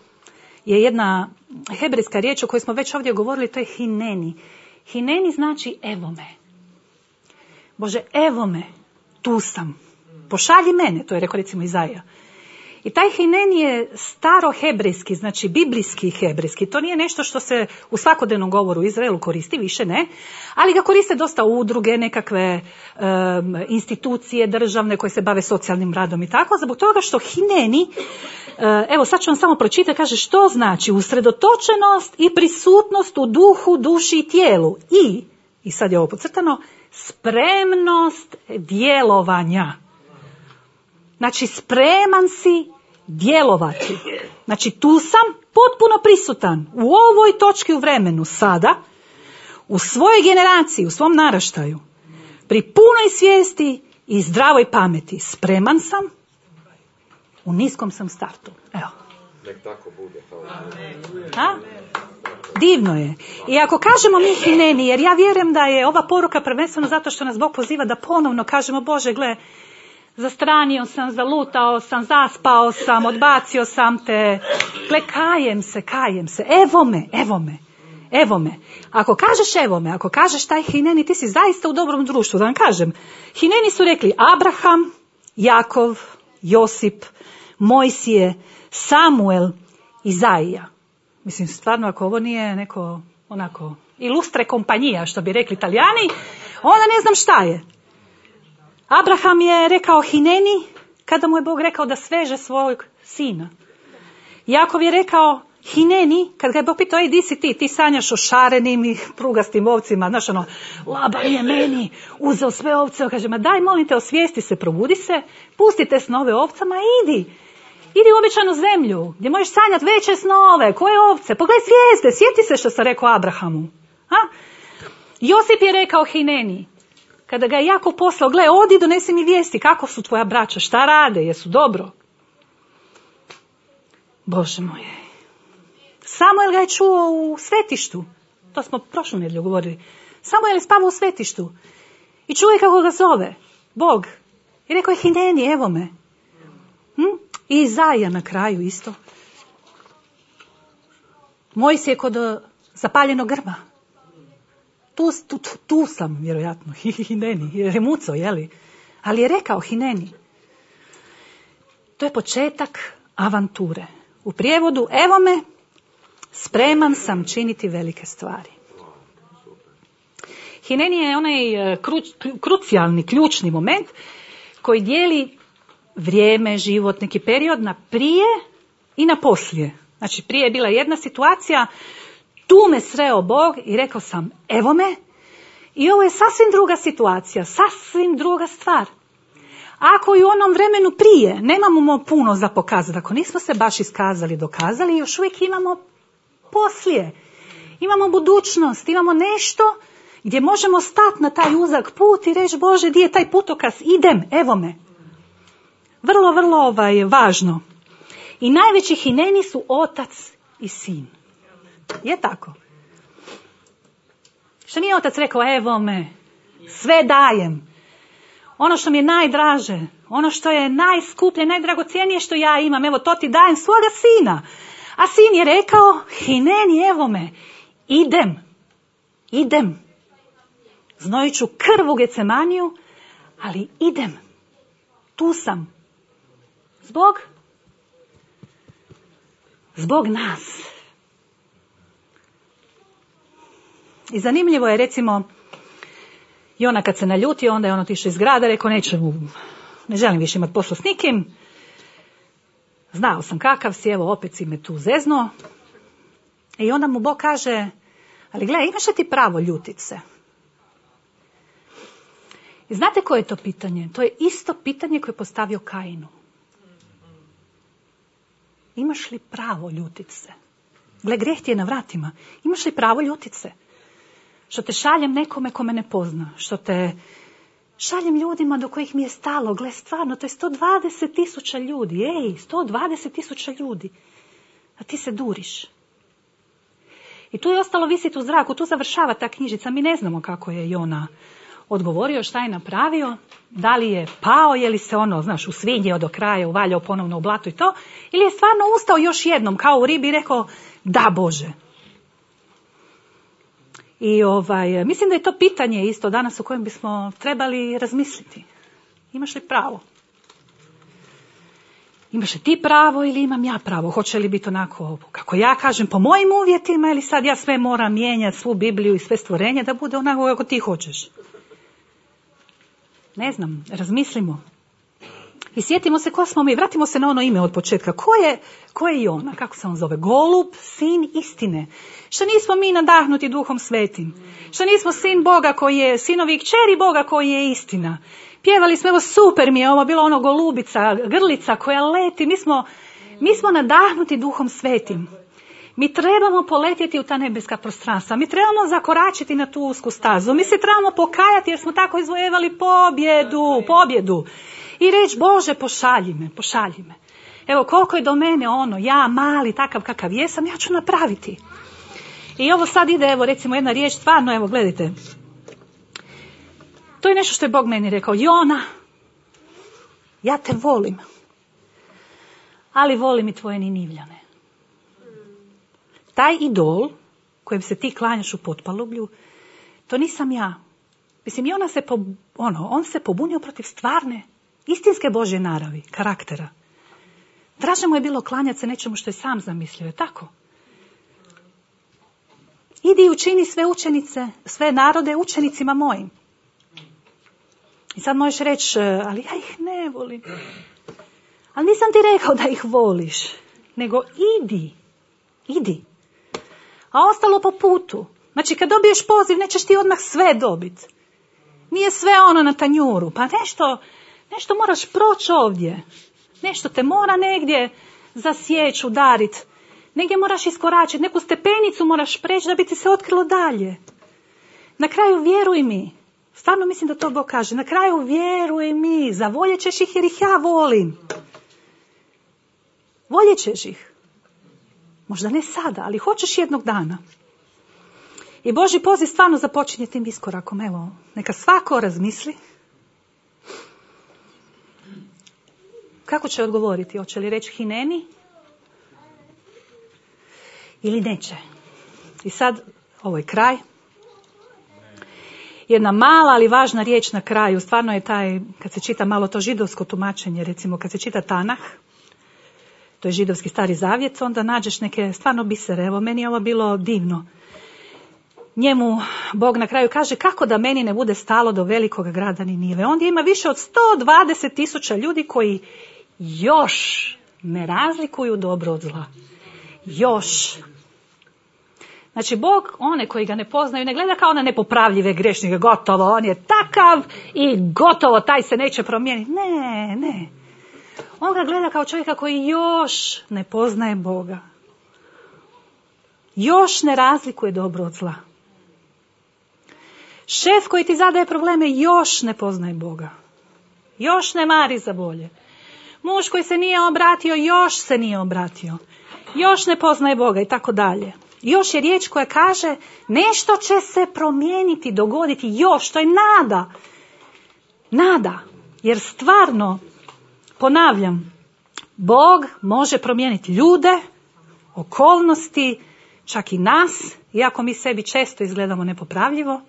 je jedna hebrejska riječ o kojoj smo već ovdje govorili, to je hineni. Hineni znači evo me. Bože, evo me, tu sam. Pošalji mene, to je rekao recimo Izaija. I taj hineni je staro hebrejski, znači biblijski hebrejski. To nije nešto što se u svakodnevnom govoru u Izraelu koristi, više ne. Ali ga koriste dosta udruge, nekakve um, institucije državne koje se bave socijalnim radom i tako. Zbog toga što hineni, uh, evo sad ću vam samo pročitati, kaže što znači usredotočenost i prisutnost u duhu, duši i tijelu. I, i sad je ovo podcrtano, spremnost djelovanja. Znači, spreman si djelovati. Znači, tu sam potpuno prisutan u ovoj točki u vremenu, sada, u svojoj generaciji, u svom naraštaju, pri punoj svijesti i zdravoj pameti. Spreman sam, u niskom sam startu. Evo. Nek tako bude. A? Divno je. I ako kažemo mi hineni, jer ja vjerujem da je ova poruka prvenstveno zato što nas Bog poziva da ponovno kažemo, Bože, gle, zastranio sam, zalutao sam, zaspao sam, odbacio sam te. Gle, kajem se, kajem se. Evo me, evo me, evo me. Ako kažeš evo me, ako kažeš taj hineni, ti si zaista u dobrom društvu. Da vam kažem, hineni su rekli Abraham, Jakov, Josip, Mojsije, Samuel, Izaija. Mislim, stvarno, ako ovo nije neko, onako, ilustre kompanija, što bi rekli Italijani, onda ne znam šta je. Abraham je rekao hineni kada mu je Bog rekao da sveže svojeg sina. Jakov je rekao Hineni, kad ga je Bog pitao, ej, di si ti? Ti sanjaš o šarenim i prugastim ovcima. Znaš, ono, Laban je meni uzeo sve ovce. Kaže, ma daj, molim te, osvijesti se, probudi se, pusti te snove ovcama i idi. Idi u obećanu zemlju, gdje možeš sanjati veće snove. Koje ovce? Pogledaj zvijezde, sjeti se što sam rekao Abrahamu. Ha? Josip je rekao Hineni, kada ga je Jakov poslao, gle, odi, donesi mi vijesti, kako su tvoja braća, šta rade, jesu dobro. Bože moj. Samuel ga je čuo u svetištu. To smo prošlu nedjelju govorili. Samuel je spavao u svetištu. I čuje kako ga zove. Bog. I rekao je, Hineni, evo me. Hm? I Izaija na kraju isto. Mojsije kod zapaljenog grba. Tu, tu, tu, tu sam, vjerojatno. Hineni. Jer je muco, jeli? Ali je rekao Hineni. To je početak avanture. U prijevodu, evo me, spreman sam činiti velike stvari. Hineni je onaj kru, krucijalni, ključni moment koji dijeli vrijeme, život, neki period na prije i na poslije. Znači, prije je bila jedna situacija, tu me sreo Bog i rekao sam, evo me, i ovo je sasvim druga situacija, sasvim druga stvar. Ako i u onom vremenu prije nemamo puno za pokazati, ako nismo se baš iskazali, dokazali, još uvijek imamo poslije. Imamo budućnost, imamo nešto gdje možemo stati na taj uzak put i reći, Bože, gdje je taj putokaz, idem, evo me. Vrlo, vrlo ovaj, važno. I najveći Hineni su otac i sin. Je tako? Što nije otac rekao, evo me, sve dajem. Ono što mi je najdraže, ono što je najskuplje, najdragocjenije što ja imam, evo to ti dajem, svoga sina. A sin je rekao, Hineni, evo me, idem, idem. Znojit ću krv u Gecemaniju, ali idem, tu sam. Zbog? Zbog nas. I zanimljivo je, recimo, i ona kad se naljuti, onda je on otišao iz grada, rekao, neću, ne želim više imati posla s nikim. Znao sam kakav si, evo opet si me tu zeznuo. I onda mu Bog kaže, ali gle, imaš li ti pravo ljutit se? I znate koje je to pitanje? To je isto pitanje koje je postavio Kainu. Imaš li pravo ljutit se? Gle, grijeh ti je na vratima. Imaš li pravo ljutit se? Što te šaljem nekome ko me ne pozna. Što te šaljem ljudima do kojih mi je stalo. Gle, stvarno, to je sto dvadeset tisuća ljudi. Ej, sto dvadeset tisuća ljudi. A ti se duriš. I tu je ostalo visiti u zraku. Tu završava ta knjižica. Mi ne znamo kako je Jona odgovorio, šta je napravio. Da li je pao, je li se ono, znaš, usvinjio do kraja, uvaljao ponovno u blato i to. Ili je stvarno ustao još jednom, kao u ribi, i rekao, da Bože. I ovaj, mislim da je to pitanje isto danas o kojem bismo trebali razmisliti. Imaš li pravo? Imaš li ti pravo ili imam ja pravo? Hoće li biti onako, kako ja kažem, po mojim uvjetima, ili sad ja sve moram mijenjati, svu Bibliju i sve stvorenje, da bude onako kako ti hoćeš? Ne znam, razmislimo. I sjetimo se ko smo mi, vratimo se na ono ime od početka. Ko je, ko je Jona? Kako se on zove? Golub, sin istine. Što nismo mi nadahnuti Duhom Svetim? Što nismo sin Boga koji je, sinovi i kćeri Boga koji je istina? Pjevali smo, evo super mi je ovo, bilo ono golubica, grlica koja leti. Mi smo, mi smo nadahnuti Duhom Svetim. Mi trebamo poletjeti u ta nebeska prostranstva. Mi trebamo zakoračiti na tu usku stazu. Mi se trebamo pokajati jer smo tako izvojevali pobjedu, pobjedu. I reći, Bože, pošalji me, pošalji me. Evo, koliko je do mene ono, ja mali, takav kakav jesam, ja ću napraviti. I ovo sad ide, evo, recimo jedna riječ, stvarno, evo, gledajte. To je nešto što je Bog meni rekao. Jona, ja te volim, ali volim i tvoje Ninivljane. Taj idol kojem se ti klanjaš u potpalublju, to nisam ja. Mislim, i ona se, po, ono, on se pobunio protiv stvarne, istinske Božje naravi, karaktera. Draže mu je bilo klanjati se nečemu što je sam zamislio, je tako? Idi i učini sve učenice, sve narode učenicima mojim. I sad možeš reći, ali ja ih ne volim. Ali nisam ti rekao da ih voliš, nego idi. Idi. A ostalo po putu. Znači kad dobiješ poziv nećeš ti odmah sve dobiti. Nije sve ono na tanjuru. Pa nešto, nešto moraš proći ovdje. Nešto te mora negdje zasjeći, udariti. Negdje moraš iskoračiti. Neku stepenicu moraš preći da bi ti se otkrilo dalje. Na kraju vjeruj mi. Stvarno mislim da to Bog kaže. Na kraju vjeruj mi. Zavoljet ćeš ih jer ih ja volim. Voljet ćeš ih. Možda ne sada, ali hoćeš jednog dana. I Božji poziv stvarno započinje tim iskorakom. Evo, neka svako razmisli. Kako će odgovoriti? Hoće li reći hineni? Ili neće? I sad, ovo je kraj. Jedna mala, ali važna riječ na kraju. Stvarno je taj, kad se čita malo to židovsko tumačenje, recimo kad se čita Tanah, to je židovski stari zavjet, onda nađeš neke stvarno bisere. Evo, meni je ovo bilo divno. Njemu Bog na kraju kaže kako da meni ne bude stalo do velikog grada Ninive. Ondje ima više od sto dvadeset tisuća ljudi koji još ne razlikuju dobro od zla. Još. Znači Bog, one koji ga ne poznaju, ne gleda kao na nepopravljive grešnike, gotovo, on je takav i gotovo, taj se neće promijeniti. Ne, ne. On ga gleda kao čovjeka koji još ne poznaje Boga. Još ne razlikuje dobro od zla. Šef koji ti zadaje probleme još ne poznaje Boga. Još ne mari za bolje. Muž koji se nije obratio, još se nije obratio. Još ne poznaje Boga i tako dalje. Još je riječ koja kaže nešto će se promijeniti, dogoditi još. To je nada. Nada. Jer stvarno, ponavljam, Bog može promijeniti ljude, okolnosti, čak i nas, iako mi sebi često izgledamo nepopravljivo,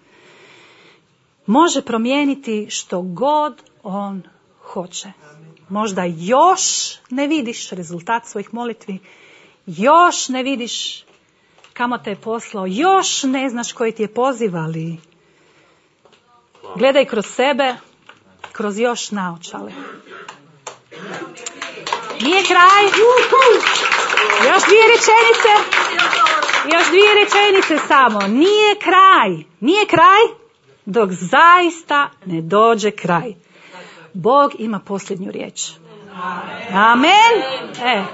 može promijeniti što god on hoće. Možda još ne vidiš rezultat svojih molitvi, još ne vidiš kamo te je poslao, još ne znaš koji ti je poziv, ali gledaj kroz sebe, kroz još naočale. Nije kraj. Još dvije rečenice. Još dvije rečenice samo. Nije kraj. Nije kraj dok zaista ne dođe kraj. Bog ima posljednju riječ. Amen. E.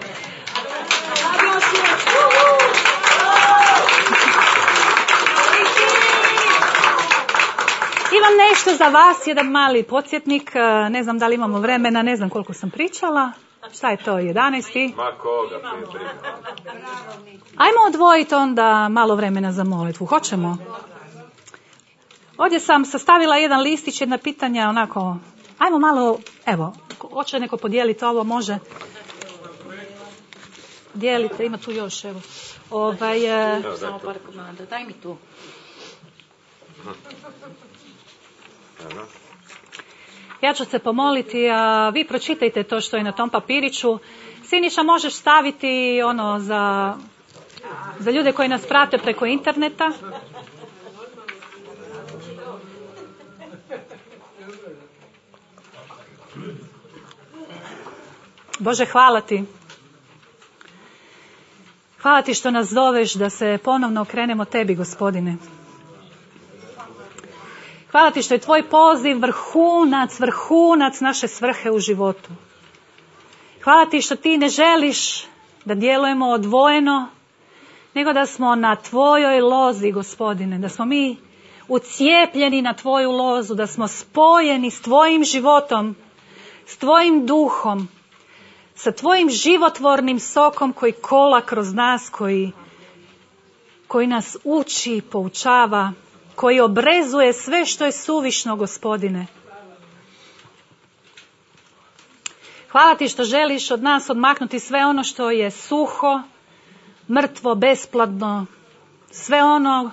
Imam nešto za vas, jedan mali podsjetnik. Ne znam da li imamo vremena, ne znam koliko sam pričala. Šta je to, jedanaest? Ma koga prije. Ajmo odvojiti onda malo vremena za molitvu. Hoćemo? Ovdje sam sastavila jedan listić, jedna pitanja, onako, ajmo malo, evo, hoće neko podijeliti ovo, može. Dijelite, ima tu još, evo. Ovaj, Evo, samo par komada, daj mi tu. Evo. Ja ću se pomoliti, a vi pročitajte to što je na tom papiriću. Siniša, možeš staviti ono za, za ljude koji nas prate preko interneta. Bože, hvala ti. Hvala ti što nas zoveš da se ponovno okrenemo tebi, Gospodine. Hvala ti što je tvoj poziv vrhunac, vrhunac naše svrhe u životu. Hvala ti što ti ne želiš da djelujemo odvojeno, nego da smo na tvojoj lozi, Gospodine, da smo mi ucijepljeni na tvoju lozu, da smo spojeni s tvojim životom, s tvojim duhom, sa tvojim životvornim sokom koji kola kroz nas, koji, koji nas uči, poučava, koji obrezuje sve što je suvišno, Gospodine. Hvala ti što želiš od nas odmaknuti sve ono što je suho, mrtvo, besplatno, sve ono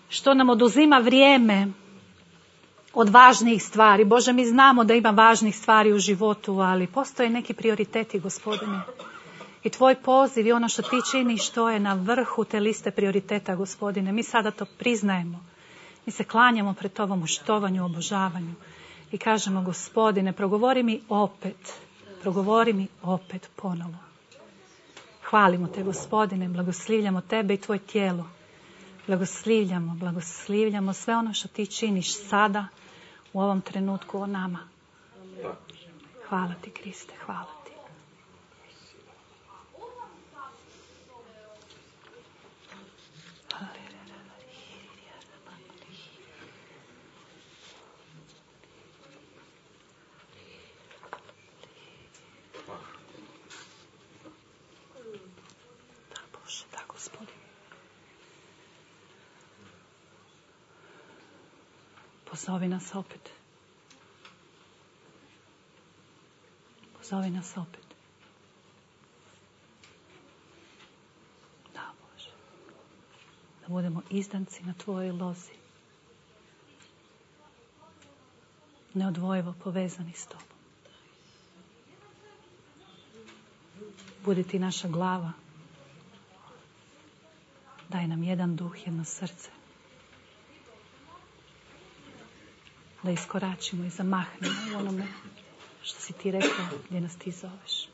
što nam oduzima vrijeme od važnijih stvari. Bože, mi znamo da ima važnih stvari u životu, ali postoje neki prioriteti, Gospodine. I tvoj poziv i ono što ti činiš, to je na vrhu te liste prioriteta, Gospodine. Mi sada to priznajemo. Mi se klanjamo pred tobom u štovanju, obožavanju. I kažemo, Gospodine, progovori mi opet. Progovori mi opet ponovo. Hvalimo te, Gospodine, blagoslivljamo tebe i tvoje tijelo. Blagoslivljamo, blagoslivljamo sve ono što ti činiš sada, u ovom trenutku o nama. Hvala ti, Kriste, hvala ti. Da, Bože, da, Gospodine. Pozovi nas opet. Pozovi nas opet. Da, Bože. Da budemo izdanci na tvojoj lozi. Neodvojivo povezani s tobom. Budi ti naša glava. Daj nam jedan duh, jedno srce. Da iskoračimo i zamahnemo u onome što si ti rekao, gdje nas ti zoveš.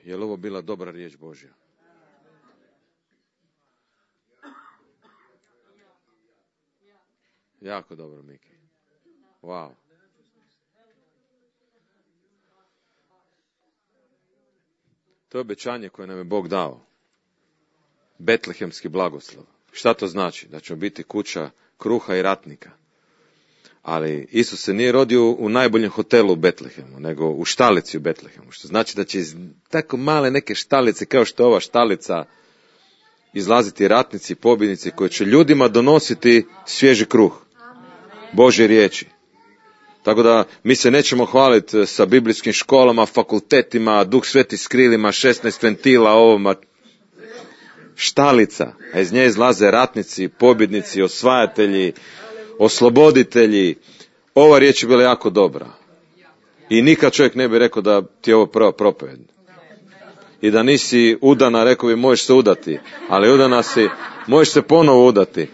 Je li ovo bila dobra riječ Božja? Jako dobro, Miki. Wow. To je obećanje koje nam je Bog dao. Betlehemski blagoslov. Šta to znači? Da ćemo biti kuća kruha i ratnika. Ali Isus se nije rodio u najboljem hotelu u Betlehemu, nego u štalici u Betlehemu. Što znači da će iz tako male neke štalice, kao što je ova štalica, izlaziti ratnici, pobjednici koji će ljudima donositi svježi kruh. Božje riječi. Tako da mi se nećemo hvaliti sa biblijskim školama, fakultetima, Duh Sveti s krilima, šesnaest ventila, ovoma. Štalica, a iz nje izlaze ratnici, pobjednici, osvajatelji, osloboditelji. Ova riječ je bila jako dobra. I nikad čovjek ne bi rekao da ti je ovo prva propovjed. I da nisi udana, rekao bi možeš se udati. Ali udana si, možeš se ponovo udati.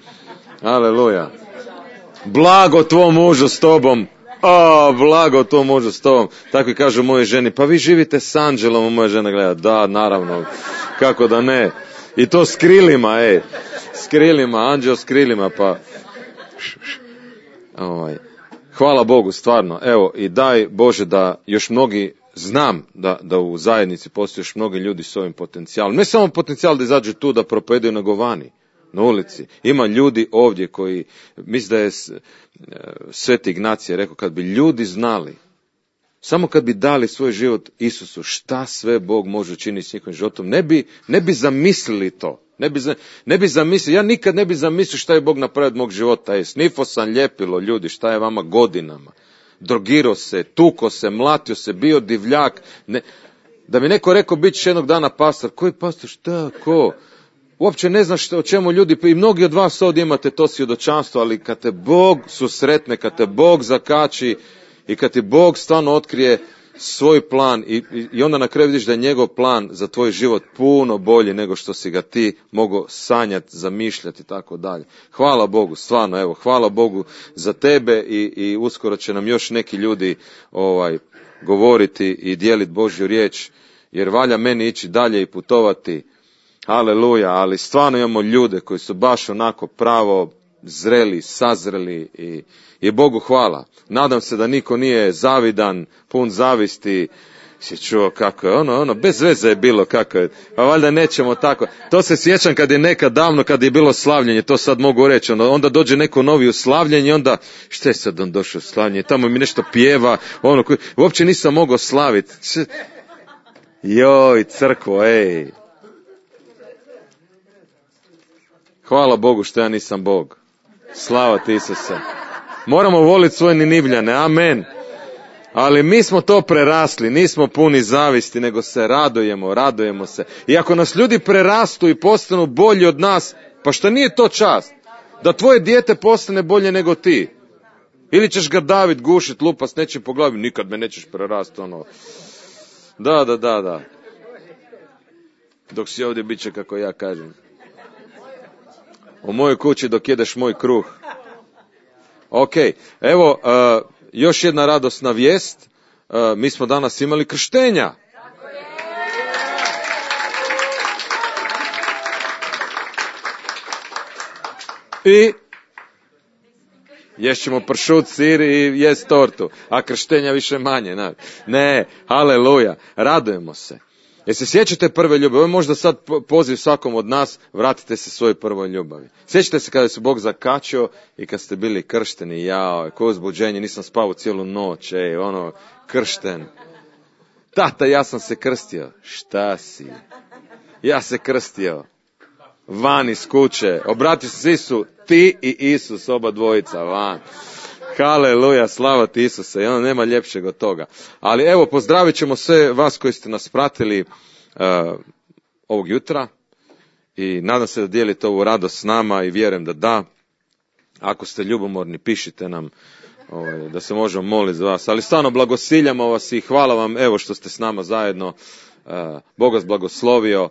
Aleluja. Blago tvom mužu s tobom. O, blago tvom mužu s tobom. Tako i kažu moje ženi, pa vi živite s anđelom, moja žena gleda. Da, naravno. Kako da ne. I to s krilima, ej. S krilima, anđel s krilima, pa... Ovaj. Hvala Bogu, stvarno. Evo, i daj Bože da još mnogi, znam da, da u zajednici postoje još mnogi ljudi s ovim potencijalom. Ne samo potencijal da izađu tu da propovedaju nego vani, na ulici. Ima ljudi ovdje koji, mislim da je Sveti Ignacije rekao, kad bi ljudi znali, samo kad bi dali svoj život Isusu, šta sve Bog može učiniti s njihovim životom, ne bi, ne bi zamislili to. Ne bi, ne bi zamislio, ja nikad ne bi zamislio šta je Bog napravio od mog života. Je, snifo sam ljepilo, ljudi, šta je vama godinama. Drogirao se, tuko se, mlatio se, bio divljak. Ne, da mi neko rekao, bit će jednog dana pastor. Koji pastor, šta, ko? Uopće ne znaš o čemu ljudi, i mnogi od vas ovdje imate to svjedočanstvo, ali kad te Bog susretne, kad te Bog zakači i kad ti Bog stvarno otkrije svoj plan i, i onda na kraju vidiš da je njegov plan za tvoj život puno bolji nego što si ga ti mogao sanjati, zamišljati i tako dalje. Hvala Bogu, stvarno, evo, hvala Bogu za tebe i, i uskoro će nam još neki ljudi ovaj, govoriti i dijeliti Božju riječ, jer valja meni ići dalje i putovati. Aleluja, ali stvarno imamo ljude koji su baš onako pravo zreli, sazreli i, i Bogu hvala. Nadam se da niko nije zavidan, pun zavisti. Si čuo kako je, ono, ono, bez veze je bilo kako je. Pa valjda nećemo tako. To se sjećam kad je nekad davno, kad je bilo slavljenje, to sad mogu reći. Onda, onda dođe neko novi u slavljenje, onda, šta je sad on došao u slavljenje? Tamo mi nešto pjeva, ono, koji, uopće nisam mogao slaviti. Joj, crkvo, ej. Hvala Bogu što ja nisam Bog. Slava ti Isuse. Moramo voliti svoje Ninivljane, amen. Ali mi smo to prerasli, nismo puni zavisti, nego se radujemo, radujemo se. I ako nas ljudi prerastu i postanu bolji od nas, pa što nije to čast? Da tvoje dijete postane bolje nego ti. Ili ćeš ga davit, gušit, lupa s nečim po glavi, nikad me nećeš prerasti, ono. Da, da, da, da. Dok si ovdje, bit će kako ja kažem. U mojoj kući dok jedeš moj kruh. Ok, evo, uh, još jedna radosna vijest. Uh, mi smo danas imali krštenja. I ješćemo pršut, sir i jest tortu, a krštenja više manje. Ne, ne, haleluja, radujemo se. Jer se sjećate prve ljubavi? Ovo je možda sad poziv svakom od nas, vratite se svojoj prvoj ljubavi. Sjećate se kada se Bog zakačio i kad ste bili kršteni, jao, koje uzbuđenje, nisam spavao cijelu noć, ej, ono, kršten. Tata, ja sam se krstio. Šta si? Ja se krstio. Van iz kuće. Obratio se Isu, ti i Isus, oba dvojica, van. Haleluja, slava ti Isuse, i ono nema ljepšeg od toga. Ali evo, pozdravit ćemo sve vas koji ste nas pratili uh, ovog jutra i nadam se da dijelite ovu radost s nama i vjerujem da da. Ako ste ljubomorni, pišite nam ovaj, da se možemo moliti za vas. Ali stvarno blagosiljamo vas i hvala vam evo što ste s nama zajedno. Uh, Bog vas blagoslovio.